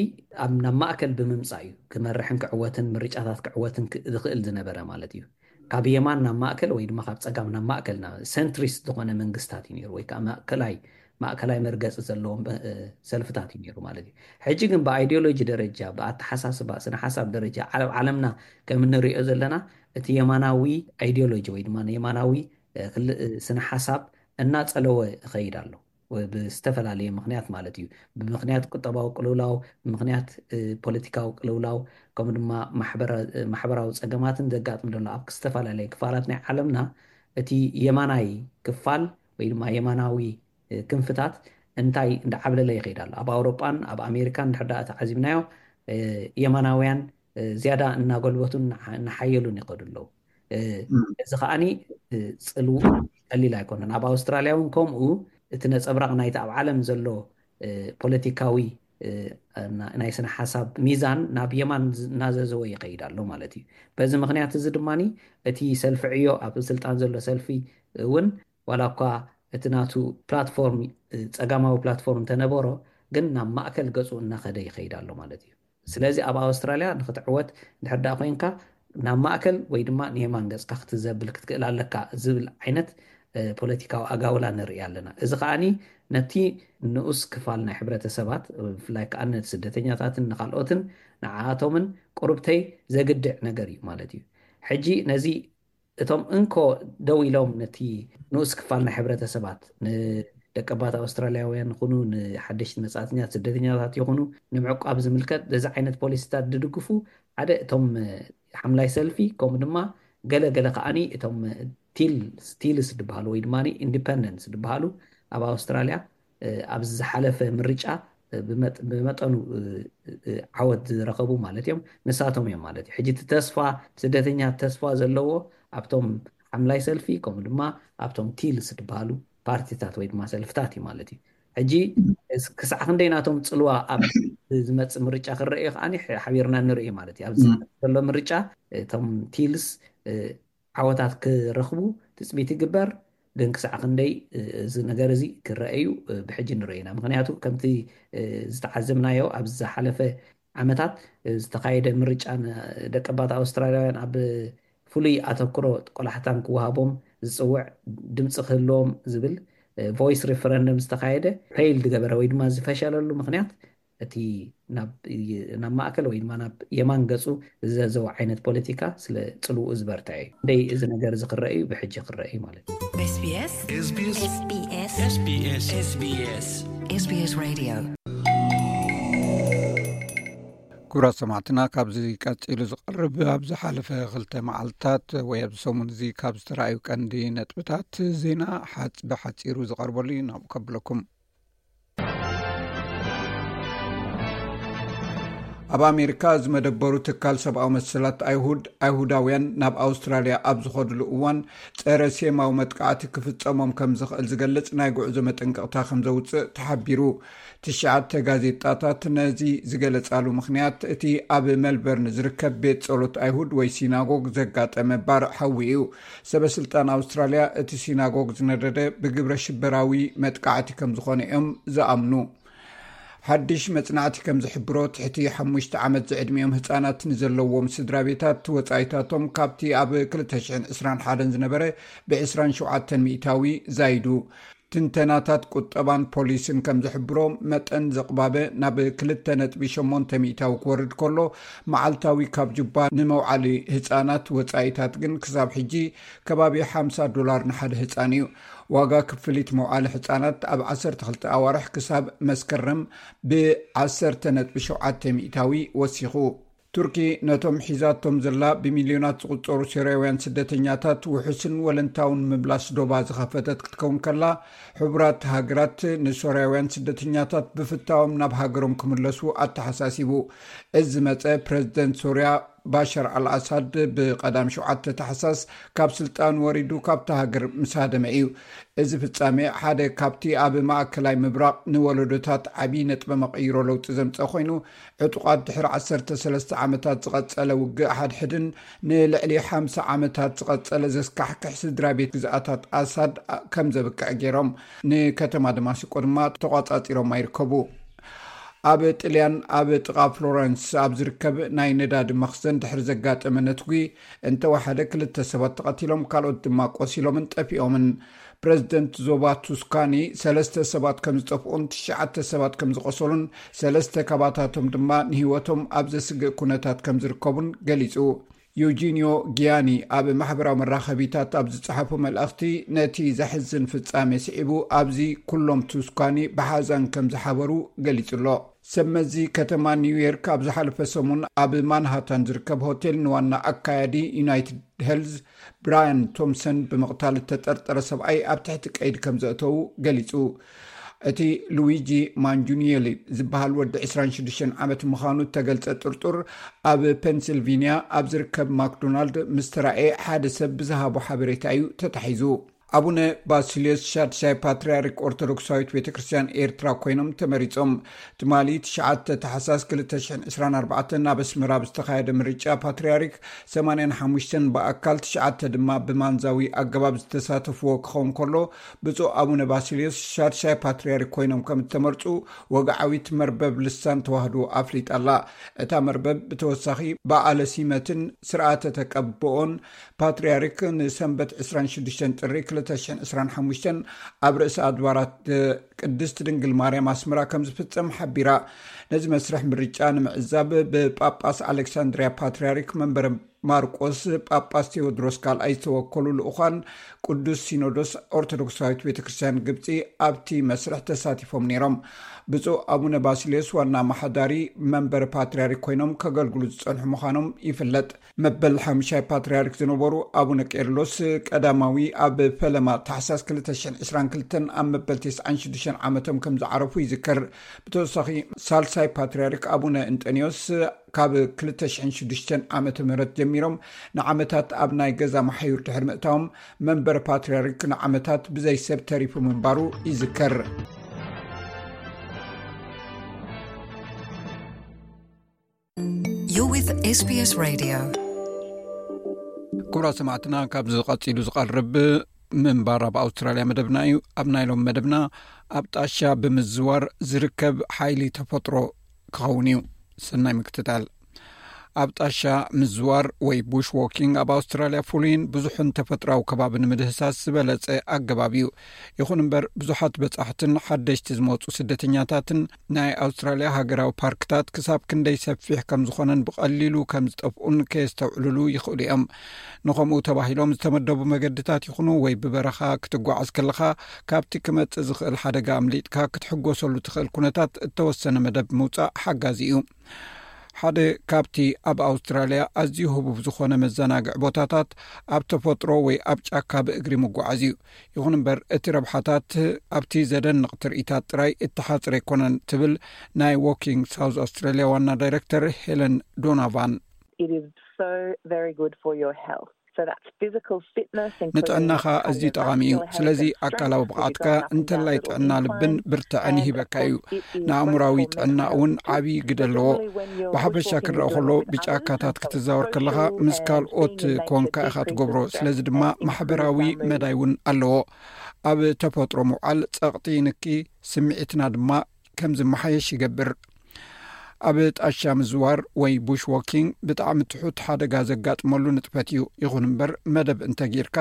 ኣብ ናብ ማእከል ብምምፃእ እዩ ክመርሕን ክዕወትን ምርጫታት ክዕወትን ዝኽእል ዝነበረ ማለት እዩ። ካብ የማን ናብ ማእከል ወይ ድማ ካብ ጸጋም ናብ ማእከል፣ ና- ሴንትሪስት ዝኾነ መንግስታት እዩ ነይሩ፣ ወይ ከዓ ማእከላይ ማእከላይ መርገፂ ዘለዎም እ፣ ሰልፍታት እዩ ነይሩ ማለት እዩ። ሕጂ ግን ብኣይዲዮሎጂ ደረጃ፣ ብኣተሓሳስባ፣ ስነ ሓሳብ ደረጃ ዓለም ዓለምና ከም እንሪኦ ዘለና፣ እቲ የማናዊ ኣይዲዮሎጂ ወይ ድማ የማናዊ እ፣ ክል- እ፣ ስነ ሓሳብ እናጸለወ ይኸይድ ኣሎ። ወ- ብዝተፈላለየ ምኽንያት ማለት እዩ። ብምኽንያት ቁጠባዊ ቅልውላው፣ ብምኽንያት እ፣ ፖለቲካዊ ቅልውላው፣ ከምኡ ድማ ማሕበራ- እ፣ ማሕበራዊ ጸገማትን ዘጋጥም ዘሎ ኣብ ዝተፈላለየ ክፋላት ናይ ዓለምና፣ እቲ የማናይ ክፋል ወይ ድማ የማናዊ እ፣ ክንፍታት እንታይ እንዳዓብለለ ይኸይድ ኣሎ። ኣብ ኣውሮጳን ኣብ ኣሜሪካን እንድሕር ደኣ ተዓዚብናዮ፣ እ፣ የማናውያን እ፣ ዝያዳ እናጎልበቱን እናሓ- እናሓየሉን ይኸዱ ኣለዉ። እ፣ እም። እዚ ከዓኒ እ፣ ጽልውኡ ቀሊል ኣይኮነን። ኣብ ኣውስትራልያ እውን ከምኡ እቲ ነጸብራቕ ናይቲ ኣብ ዓለም ዘሎ እ፣ ፖለቲካዊ እ፣ ና- ናይ ስነ ሓሳብ ሚዛን ናብ የማን ዝ- እናዘዘወ ይኸይድ ኣሎ ማለት እዩ። በዚ ምኽንያት እዚ ድማ እቲ ሰልፊ ዕዮ፣ ኣብ ስልጣን ዘሎ ሰልፊ እውን ዋላ እኳ እቲ ናቱ ፕላትፎርም እ፣ ጸጋማዊ ፕላትፎርም እንተነበሮ፣ ግን ናብ ማእከል ገጹ እናኸደ ይኸይድ ኣሎ ማለት እዩ። ስለዚ ኣብ ኣውስትራልያ ንክትዕወት እንድሕር ደኣ ኮይንካ ናብ ማእከል ወይ ድማ ንየማን ገጽካ ክትዘብል ክትክእል ኣለካ ዝብል ዓይነት እ፣ ፖለቲካዊ ኣጋውላ ንርኢ ኣለና። እዚ ከዓኒ ነቲ ንኡስ ክፋል ናይ ሕብረተሰባት፣ ብፍላይ ከዓ ነቲ ስደተኛታትን ንካልኦትን ንዓኣቶምን ቁርብተይ ዘግድዕ ነገር እዩ ማለት እዩ። ሕጂ ነዚ እቶም እንኮ ደው ኢሎም ነቲ ንኡስ ክፋል ናይ ሕብረተሰባት፣ ንደቀባት ኣውስትራልያውያን ይኹኑ፣ ንሓደሽቲ መጻእተኛት ስደተኛታት ይኹኑ፣ ንምዕቋብ ዝምልከት በዚ ዓይነት ፖሊሲታት ዝድግፉ ሓደ እቶም እ፣ ሓምላይ ሰልፊ፣ ከምኡ ድማ ገለ ገለ ከዓኒ እቶም እ፣ ቲል- ቲልስ ዝበሃሉ ወይ ድማ ኢንዲፐንደንትስ ዝበሃሉ ኣብ ኣውስትራልያ እ፣ ኣብዚ ዝሓለፈ ምርጫ እ፣ ብመጥ- ብመጠኑ እ፣ እ፣ ዓወት ዝረኸቡ ማለት እዮም። ንሳቶም እዮም ማለት እዩ። ሕጂ እቲ ተስፋ ስደተኛ ተስፋ ዘለዎ ኣብቶም ሓምላይ ሰልፊ ከምኡ ድማ ኣብቶም ቲልስ ዝበሃሉ ፓርቲታት ወይ ድማ ሰልፍታት እዩ ማለት እዩ። ሕጂ እስ- ክሳዕ ክንደይ ናቶም ጽልዋ ኣብ ዝመጽእ ምርጫ ክረአ እዩ ከዓኒ ሕ- ሓቢርና ንርኢ ማለት እዩ። ኣብዚ ዘሎ ምርጫ እቶም ቲልስ እ፣ ዓወታት ክረኽቡ ትጽቢት ይግበር፣ ግን ክሳዕ ክንደይ እ፣ እዚ ነገር እዚ ክረአ እዩ እ፣ ብሕጂ ንርኢ ኢና። ምክንያቱ ከምቲ እ፣ ዝተዓዘብናዮ ኣብ ዝሓለፈ ዓመታት እ፣ ዝተኻየደ ምርጫ ን- ደቀባት ኣውስትራልያውያን ኣብ ፍሉይ ኣተኩሮ ቆላሕታን ክወሃቦም ዝጽውዕ ድምፂ ክህልዎም ዝብል እ፣ ቮይስ ሪፈረንደም ዝተኻየደ ፌይል ዝገበረ ወይ ድማ ዝፈሸለሉ ምክንያት እቲ ናብ ናብ ማእከል ወይ ድማ ናብ የማን ገጹ ዝዘዘው ዓይነት ፖለቲካ ስለ ጽልውኡ ዝበርትዐ እዩ። ደይ እዚ ነገር እዚ ክረአ እዩ፣ ብሕጂ ክረአ እዩ ማለት እዩ። SBS SBS SBS SBS SBS Radio። ክቡራት ሰማዕትና፣ ካብዚ ቀጺሉ ዝቐርብ ኣብ ዝሓለፈ ክልተ መዓልታት ወይ ኣብዚ ሰሙን እዚ ካብ ዝተረኣዩ ቀንዲ ነጥብታት ዜና ሓጽ- ብሓጺሩ ዝቐርበሉ እዩ። ናብኡ ከብለኩም። ኣብ ኣሜሪካ ዝመደበሩ ትካል ሰብኣዊ መሰላት ኣይሁድ፣ ኣይሁዳውያን ናብ ኣውስትራልያ ኣብ ዝኸድሉ እዋን ጸረ ሴማዊ መጥቃዕቲ ክፍጸሞም ከም ዝኽእል ዝገልጽ ናይ ጉዕዞ መጠንቀቕታ ከም ዘውጽእ ተሓቢሩ። ትሽዓተ ጋዜጣታት ነዚ ዝገለጻሉ ምኽንያት እቲ ኣብ ሜልበርን ዝርከብ ቤት ጸሎት ኣይሁድ ወይ ሲናጎግ ዘጋጠመ ባርዕ ሓዊ እዩ። ሰበ ስልጣን ኣውስትራልያ እቲ ሲናጎግ ዝነደደ ብግብረ ሽበራዊ መጥቃዕቲ ከም ዝኾነ እዮም ዝኣምኑ። ሓድሽ መጽናዕቲ ከም ዝሕብሮ፣ ትሕቲ ሓሙሽተ ዓመት ዝዕድሚኦም ህጻናት ንዘለዎም ስድራ ቤታት ወጻኢታቶም ካብቲ ኣብ ክልተ ሽሕን ዕስራን ሓደን ዝነበረ ብ ዕስራን ሸውዓተን ሚእታዊ ዛይዱ። ትንተናታት ቁጠባን ፖሊስን ከም ዝሕብሮ፣ መጠን ዘቕባበ ናብ ክልተ ነጥቢ ሸሞንተ ሚእታዊ ክወርድ ከሎ፣ መዓልታዊ ካብ ጁባ ንመውዓሊ ህጻናት ወጻኢታት ግን ክሳብ ሕጂ ከባቢ ሓምሳ ዶላር ንሓደ ህጻን እዩ። ዋጋ ክፍሊት መውዓሊ ህጻናት ኣብ ዓሰርተ ክልተ ኣዋርሕ ክሳብ መስከረም ብ ዓሰርተ ነጥቢ ሸውዓተ ሚእታዊ ወሲኹ። ቱርኪ ነቶም ሒዛቶም ዘላ ብሚልዮናት ዝቑጸሩ ሶርያውያን ስደተኛታት ውሑስን ወለንታውን ምምላስ ዶባ ዝኸፈተት ክትከውን ከላ፣ ሕቡራት ሃገራት ንሶርያውያን ስደተኛታት ብፍታዎም ናብ ሃገሮም ክምለሱ ኣተሓሳሲቡ። እዚ ዝመጸ ፕረዚደንት ሶርያ ባሻር ኣልኣሳድ ብቐዳም ሸውዓተ ታሕሳስ ካብ ስልጣን ወሪዱ ካብታ ሃገር ምስ ሃደመ እዩ። እዚ ፍጻሜ ሓደ ካብቲ ኣብ ማእከላይ ምብራቕ ንወለዶታት ዓቢ ነጥበ መቐይሮ ለውጢ ዘምጸ ኮይኑ፣ ዕጡቓት ድሕሪ ዓሰርተ ሰለስተ ዓመታት ዝቐጸለ ውግእ ሓድሕድን ንልዕሊ ሓምሳ ዓመታት ዝቐጸለ ዘስካሕክሕ ስድራ ቤት ግዝኣታት ኣሳድ ከም ዘብቅዕ ገይሮም፣ ንከተማ ደማስቆ ድማ ተቋጻጺሮማ ይርከቡ። ኣብ ጥልያን ኣብ ጥቓ ፍሎረንስ ኣብ ዝርከብ ናይ ነዳዲ መኽዘን ድሕሪ ዘጋጠመ ነትጒ እንተወሓደ ክልተ ሰባት ተቐቲሎም፣ ካልኦት ድማ ቆሲሎምን ጠፊኦምን። ፕረዚደንት ዞባ ቱስካኒ ሰለስተ ሰባት ከም ዝጠፍኡን ትሽዓተ ሰባት ከም ዝቆሰሉን፣ ሰለስተ ካባታቶም ድማ ንህይወቶም ኣብ ዘስግእ ኩነታት ከም ዝርከቡን ገሊጹ። ዩጂኒዮ ጊያኒ ኣብ ማሕበራዊ መራኸቢታት ኣብ ዝጸሓፎ መልእኽቲ፣ ነቲ ዘሕዝን ፍጻሜ ስዒቡ ኣብዚ ኩሎም ቱስካኒ ብሓዛን ከም ዝሓበሩ ገሊጹ ኣሎ። ሰብ መዚ ከተማ ኒውዮርክ ኣብ ዝሓለፈ ሰሙን ኣብ ማንሃታን ዝርከብ ሆቴል ንዋና ኣካያዲ ዩናይትድ ሄልዝ ብራያን ቶምሰን ብምቕታል እተጠርጠረ ሰብኣይ ኣብ ትሕቲ ቀይዲ ከም ዘእተዉ ገሊጹ። እቲ ሉዊጂ ማንጁኒየሊ ዝበሃል ወዲ ዕስራን ሽዱሽተን ዓመት ምዃኑ እተገልጸ ጥርጡር፣ ኣብ ፔንሲልቪንያ ኣብ ዝርከብ ማክዶናልድ ምስ ተራእየ ሓደ ሰብ ብዝሃቦ ሓበሬታ እዩ ተታሒዙ። ኣቡነ ባሲልዮስ ሻድሻይ ፓትርያርክ ኦርቶዶክሳዊት ቤተ ክርስቲያን ኤርትራ ኮይኖም ተመሪጾም። ትማሊ ትሽዓተ ታሕሳስ ክልተ ሽሕን ዕስራን ኣርባዕተን ኣብ ኣስመራ ብዝተኻየደ ምርጫ ፓትርያርክ ሰማንያን ሓሙሽተን ብኣካል፣ ትሽዓተ ድማ ብማንዛዊ ኣገባብ ዝተሳተፍዎ ክኸውን ከሎ፣ ብፁዕ ኣቡነ ባሲልዮስ ሻድሻይ ፓትርያርክ ኮይኖም ከም እተመርጹ ወግዓዊት መርበብ ልሳን ተዋህዶ ኣፍሊጣ ኣላ። እታ መርበብ ብተወሳኺ በዓለ ሲመትን ስርዓተ ተቀብኦን ፓትርያርክ ንሰንበት ዕስራን ሽዱሽተን ጥሪ ክልተ ሽሕን ዕስራን ሓሙሽተን ኣብ ርእሰ ኣድባራት ቅድስት ድንግል ማርያም ኣስመራ ከም ዝፍጸም ሓቢራ። ነዚ መስርሕ ምርጫ ንምዕዛብ ብጳጳስ ኣሌክሳንድርያ ፓትርያርክ መንበረ ማርቆስ ጳጳስ ቴዎድሮስ ካልኣይ ዝተወከሉ ልኡኻን ቅዱስ ሲኖዶስ ኦርቶዶክሳዊት ቤተ ክርስቲያን ግብጺ ኣብቲ መስርሕ ተሳቲፎም ነይሮም። ብፁዕ ኣቡነ ባሲልዮስ ዋና ኣመሓዳሪ መንበረ ፓትርያርክ ኮይኖም ከገልግሉ ዝጸንሑ ምዃኖም ይፍለጥ። መበል ሓምሻይ ፓትርያርክ ዝነበሩ ኣቡነ ቄርሎስ ቀዳማዊ ኣብ ፈለማ ታሕሳስ ክልተ ሽሕን ዕስራን ክልተን ኣብ መበል ተስዓን ሽዱሽተን ዓመቶም ከም ዝዓረፉ ይዝከር። ብተወሳኺ ሳልሳይ ፓትርያርክ ኣቡነ እንጠንዮስ ካብ ክልተ ሽሕን ሽዱሽተን ዓመተ ምህረት ጀሚሮም ንዓመታት ኣብ ናይ ገዛ መሓዩር ድሕሪ ምእታዎም፣ መንበረ ፓትርያርክ ንዓመታት ብዘይ ሰብ ተሪፉ ምንባሩ ይዝከር። You're with S B S Radio. ክቡራት ሰማዕትና፣ ካብዚ ቀጺሉ ዝቐርብ ምንባር ኣብ ኣውስትራልያ መደብና እዩ። ኣብ ናይ ሎም መደብና፣ ኣብ ጣሻ ብምዝዋር ዝርከብ ሓይሊ ተፈጥሮ ክኸውን እዩ። ሰናይ ምክትታል። ኣብ ጣሻ ምዝዋር ወይ ቡሽ ዎኪንግ ኣብ ኣውስትራልያ ፍሉይን ብዙሕን ተፈጥራዊ ከባቢ ንምድህሳስ ዝበለጸ ኣገባብ እዩ። ይኹን እምበር፣ ብዙሓት በጻሕትን ሓደሽቲ ዝመጹ ስደተኛታትን ናይ ኣውስትራልያ ሃገራዊ ፓርክታት ክሳብ ክንደይ ሰፊሕ ከም ዝኾነን ብቐሊሉ ከም ዝጠፍኡን ከየስተውዕሉሉ ይኽእሉ እዮም። ንኸምኡ ተባሂሎም ዝተመደቡ መገድታት ይኹኑ ወይ ብበረኻ ክትጓዓዝ ከለኻ ካብቲ ክመጽእ ዝኽእል ሓደጋ ኣምሊጥካ ክትሕጎሰሉ ትኽእል ኩነታት እተወሰነ መደብ ምውጻእ ሓጋዚ እዩ። ሓደ ካብቲ ኣብ ኣውስትራልያ ኣዝዩ ህቡብ ዝኾነ መዘናግዒ ቦታታት ኣብ ተፈጥሮ ወይ ኣብ ጫካ ብእግሪ ምጓዓዝ እዩ። ይኹን እምበር፣ እቲ ረብሓታት ኣብቲ ዘደንቕ ትርኢታት ጥራይ እተሓጽረ ኣይኮነን ትብል ናይ ዎኪንግ ሳውዝ ኣውስትራልያ ዋና ዳይረክተር ሄለን ዶናቫን። It is so very good for your health. So that's physical fitness, including ንጥዕናኻ ኣዝዩ ጠቓሚ እዩ። ስለዚ ኣካላዊ ብቕዓትካ እንተላይ ጥዕና ልብን ብርትዕን ይህበካ እዩ። ንኣእምራዊ ጥዕና እውን ዓብዪ ግደ ኣለዎ። ብሓፈሻ ክረአ ከሎ፣ ብጫካታት ክትዛወር ከለኻ ምስ ካልኦት ኮንካ ኢኻ ትገብሮ። ስለዚ ድማ ማሕበራዊ መዳይ እውን ኣለዎ። ኣብ ተፈጥሮ ምውዓል ጸቕጢ ይንኪ፣ ስምዒትና ድማ ከም ዝመሓየሽ ይገብር። ኣብ ጣሻ ምዝዋር ወይ ቡሽ ዎኪንግ ብጣዕሚ ትሑት ሓደጋ ዘጋጥመሉ ንጥፈት እዩ። ይኹን እምበር፣ መደብ እንተጌርካ፣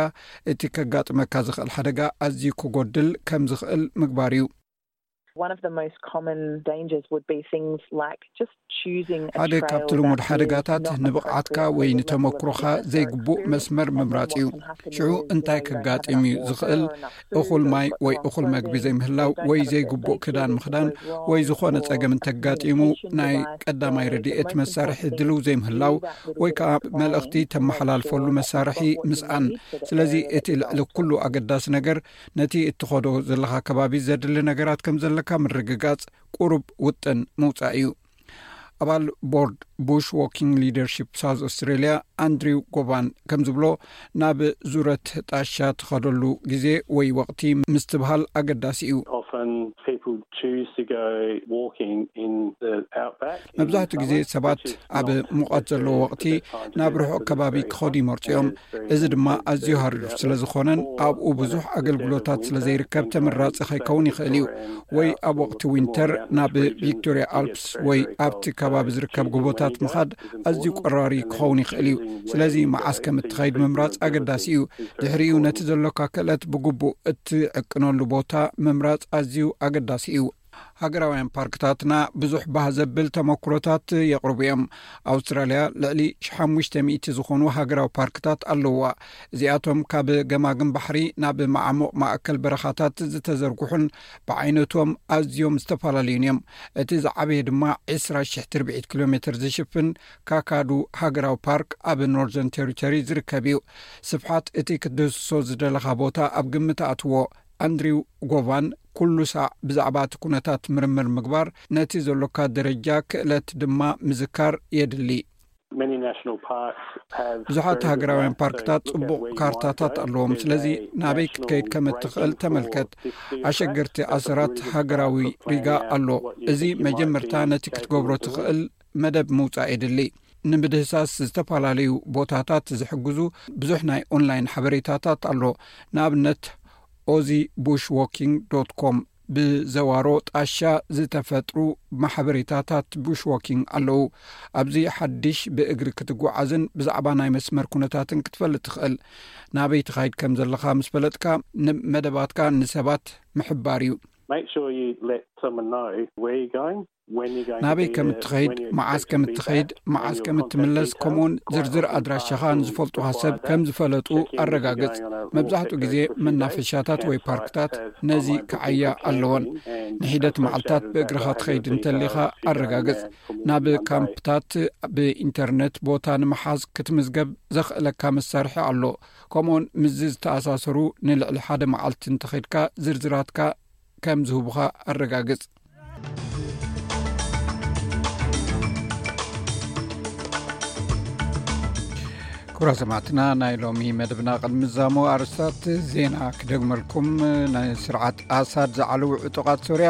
እቲ ከጋጥመካ ዝኽእል ሓደጋ ኣዝዩ ክጎድል ከም ዝኽእል ምግባር እዩ። One of the most common dangers would be things like just choosing a ሓደ trail ካብቲ ልሙድ that ሓደጋታት is not ንብቕዓትካ appropriate ወይ for the level of ንተመክሮኻ fitness or ዘይግቡእ experience መስመር and then ምምራጽ እዩ። What can happen ሽዑ is እንታይ depending on ከጋጥም እዩ ዝኽእል? እኹል ማይ ወይ እኹል መግቢ ዘይምህላው ወይ ዘይግቡእ ክዳን ምኽዳን ወይ ዝኾነ ጸገም እንተጋጢሙ ናይ ቀዳማይ ረድኤት መሳርሒ ድልው ዘይምህላው ወይ ከዓ መልእኽቲ ተመሓላልፈሉ መሳርሒ ምስኣን። ስለዚ እቲ ልዕሊ ኩሉ ኣገዳሲ ነገር ነቲ እትኸዶ ዘለኻ ከባቢ ዘድሊ ነገራት ከም ዘለካ ምርግጋጽ፣ ቁሩብ ውጥን ምውጻእ እዩ። ኣባል ቦርድ ቡሽ ዎኪንግ ሊደርሺፕ ሳውዝ ኣውስትሬልያ ኣንድሪው ጎባን ከም ዝብሎ፣ ናብ ዙረት ጣሻ ትኸደሉ ግዜ ወይ ወቕቲ ምስትብሃል ኣገዳሲ እዩ። Often people choose to go walking in the outback. መብዛሕትኡ ግዜ ሰባት ኣብ ሙቐት ዘለዎ ወቕቲ ናብ ርሑቕ ከባቢ ክኸዱ ይመርጹ እዮም። እዚ ድማ ኣዝዩ ሃሪሩ ስለ ዝኾነን ኣብኡ ብዙሕ ኣገልግሎታት ስለ ዘይርከብ ተመራጺ ከይከውን ይኽእል እዩ። ወይ ኣብ ወቕቲ ዊንተር ናብ ቪክቶሪያ ኣልፕስ ወይ ኣብቲ ከባቢ ዝርከብ ጎቦታት ምኻድ ኣዝዩ ቆራሪ ክኸውን ይኽእል እዩ። ስለዚ መዓስ ከም እትኸይድ ምምራጽ ኣገዳሲ እዩ። ድሕሪኡ ነቲ ዘሎካ ክእለት ብግቡእ እትዕቅነሉ ቦታ ምምራጽ ኣዝዩ ኣገዳሲ እዩ። ሃገራውያን ፓርክታትና ብዙሕ ባህ ዘብል ተመክሮታት የቕርቡ እዮም። ኣውስትራልያ ልዕሊ ሓሙሽተ ሚእቲ ዝኾኑ ሃገራዊ ፓርክታት ኣለውዋ። እዚኣቶም ካብ ገማግም ባሕሪ ናብ መዓሙቕ ማእከል በረኻታት ዝተዘርግሑን ብዓይነቶም ኣዝዮም ዝተፈላለዩን እዮም። እቲ ዝዓበየ ድማ ዕስራ ሽሕ ትርብዒት ኪሎ ሜትር ዝሽፍን ካካዱ ሃገራዊ ፓርክ ኣብ ኖርዘርን ቴሪቶሪ ዝርከብ እዩ። ስፍሓት እቲ ክትድህስሶ ዝደለኻ ቦታ ኣብ ግምት ኣትዎ። ኣንድሪው ጎቫን ኩሉ ሳዕ ብዛዕባ እቲ ኩነታት ምርምር ምግባር፣ ነቲ ዘሎካ ደረጃ ክእለት ድማ ምዝካር የድሊ። Many national parks have ብዙሓት ሃገራውያን ፓርክታት ጽቡቕ ካርታታት ኣለዎም። ስለዚ ናበይ ክትከይድ ከም እትኽእል ተመልከት። ኣሸገርቲ ኣሰራት ሃገራዊ ሪጋ ኣሎ። እዚ መጀመርታ ነቲ ክትገብሮ ትኽእል መደብ ምውጻእ የድሊ። ንምድህሳስ ዝተፈላለዩ ቦታታት ዝሕግዙ ብዙሕ ናይ ኦንላይን ሓበሬታታት ኣሎ። ንኣብነት ኦዚ ቡሽ ዎኪንግ ዶት ኮም ብዘዋሮ ጣሻ ዝተፈጥሩ ማሕበሬታታት ቡሽ ዎኪንግ ኣለዉ። ኣብዚ ሓድሽ ብእግሪ ክትጓዓዝን ብዛዕባ ናይ መስመር ኩነታትን ክትፈልጥ ትኽእል። ናበይ ትኻይድ ከም ዘለኻ ምስ ፈለጥካ፣ ንመደባትካ ንሰባት ምሕባር እዩ። Make sure you let someone know where you're going, when you're going to ናበይ be ከም there, እትኸይድ፣ when you መዓስ expect ከም to be እትኸይድ፣ back, when መዓስ your ከም contact እትምለስ፣ details, ከምኡውን quite ዝርዝር often ኣድራሻኻ parking ንዝፈልጡኻ ሰብ requires ከም ዝፈለጡ checking if you're ኣረጋግጽ። going on a መብዛሕትኡ walk that ግዜ goes for a few days መናፈሻታት ወይ before ፓርክታት have ነዚ online booking ክዓያ for ኣለወን። camping and ንሒደት associated መዓልታት with that ብእግርኻ behaviour ትኸይድ details እንተሊኻ if you're going ኣረጋግጽ። there for more ናብ than one day. ካምፕታት ብኢንተርነት ቦታ ንምሓዝ ክትምዝገብ ዘኽእለካ መሳርሒ ኣሎ። ከምኡውን ምስዚ ዝተኣሳሰሩ ንልዕሊ ሓደ መዓልቲ እንተኸድካ ዝርዝራትካ ከም ዝህቡኻ ኣረጋግጽ። ክቡራ ሰማዕትና፣ ናይ ሎሚ መደብና ቅድሚ ዛሞ ኣርስታት ዜና ክደግመልኩም። ናይ ስርዓት ኣሳድ ዝዓለዉ ዕጡቓት ሶርያ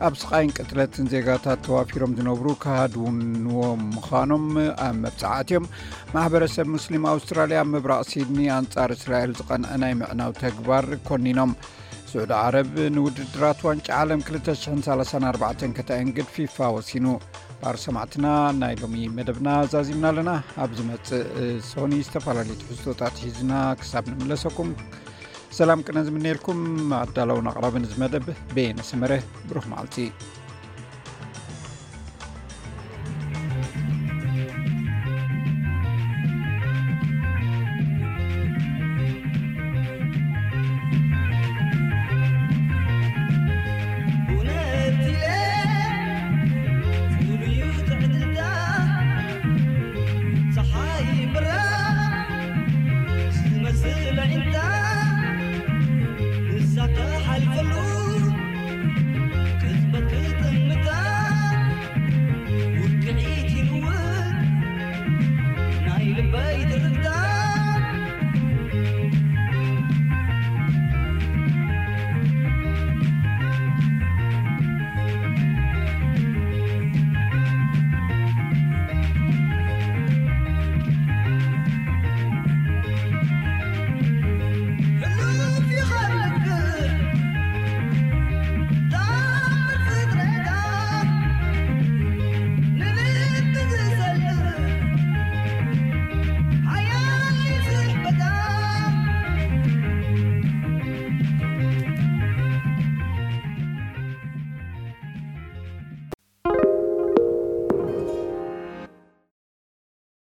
ኣብ ስቓይን ቅትለትን ዜጋታት ተዋፊሮም ዝነብሩ ክሃድንዎም ምዃኖም ኣብ መብጽዓት እዮም። ማሕበረሰብ ሙስሊም ኣውስትራልያ ኣብ ምብራቕ ሲድኒ ኣንጻር እስራኤል ዝቐንዐ ናይ ምዕናው ተግባር ኮኒኖም። ስዑዲ ዓረብ ንውድድራት ዋንጫ ዓለም ክልተ ሽሕን ሰላሳን ኣርባዕተን ከተእንግድ ፊፋ ወሲኑ። ባር ሰማዕትና፣ ናይ ሎሚ መደብና ዛዚምና ኣለና። ኣብ ዝመጽእ ሶኒ ዝተፈላለዩ ትሕዝቶታት ሒዝና ክሳብ ንምለሰኩም ሰላም ቅነ ዝምነየልኩም። ኣዳለውን ኣቕራብን እዚ መደብ በየነ ሰመረ። ብሩኽ መዓልቲ።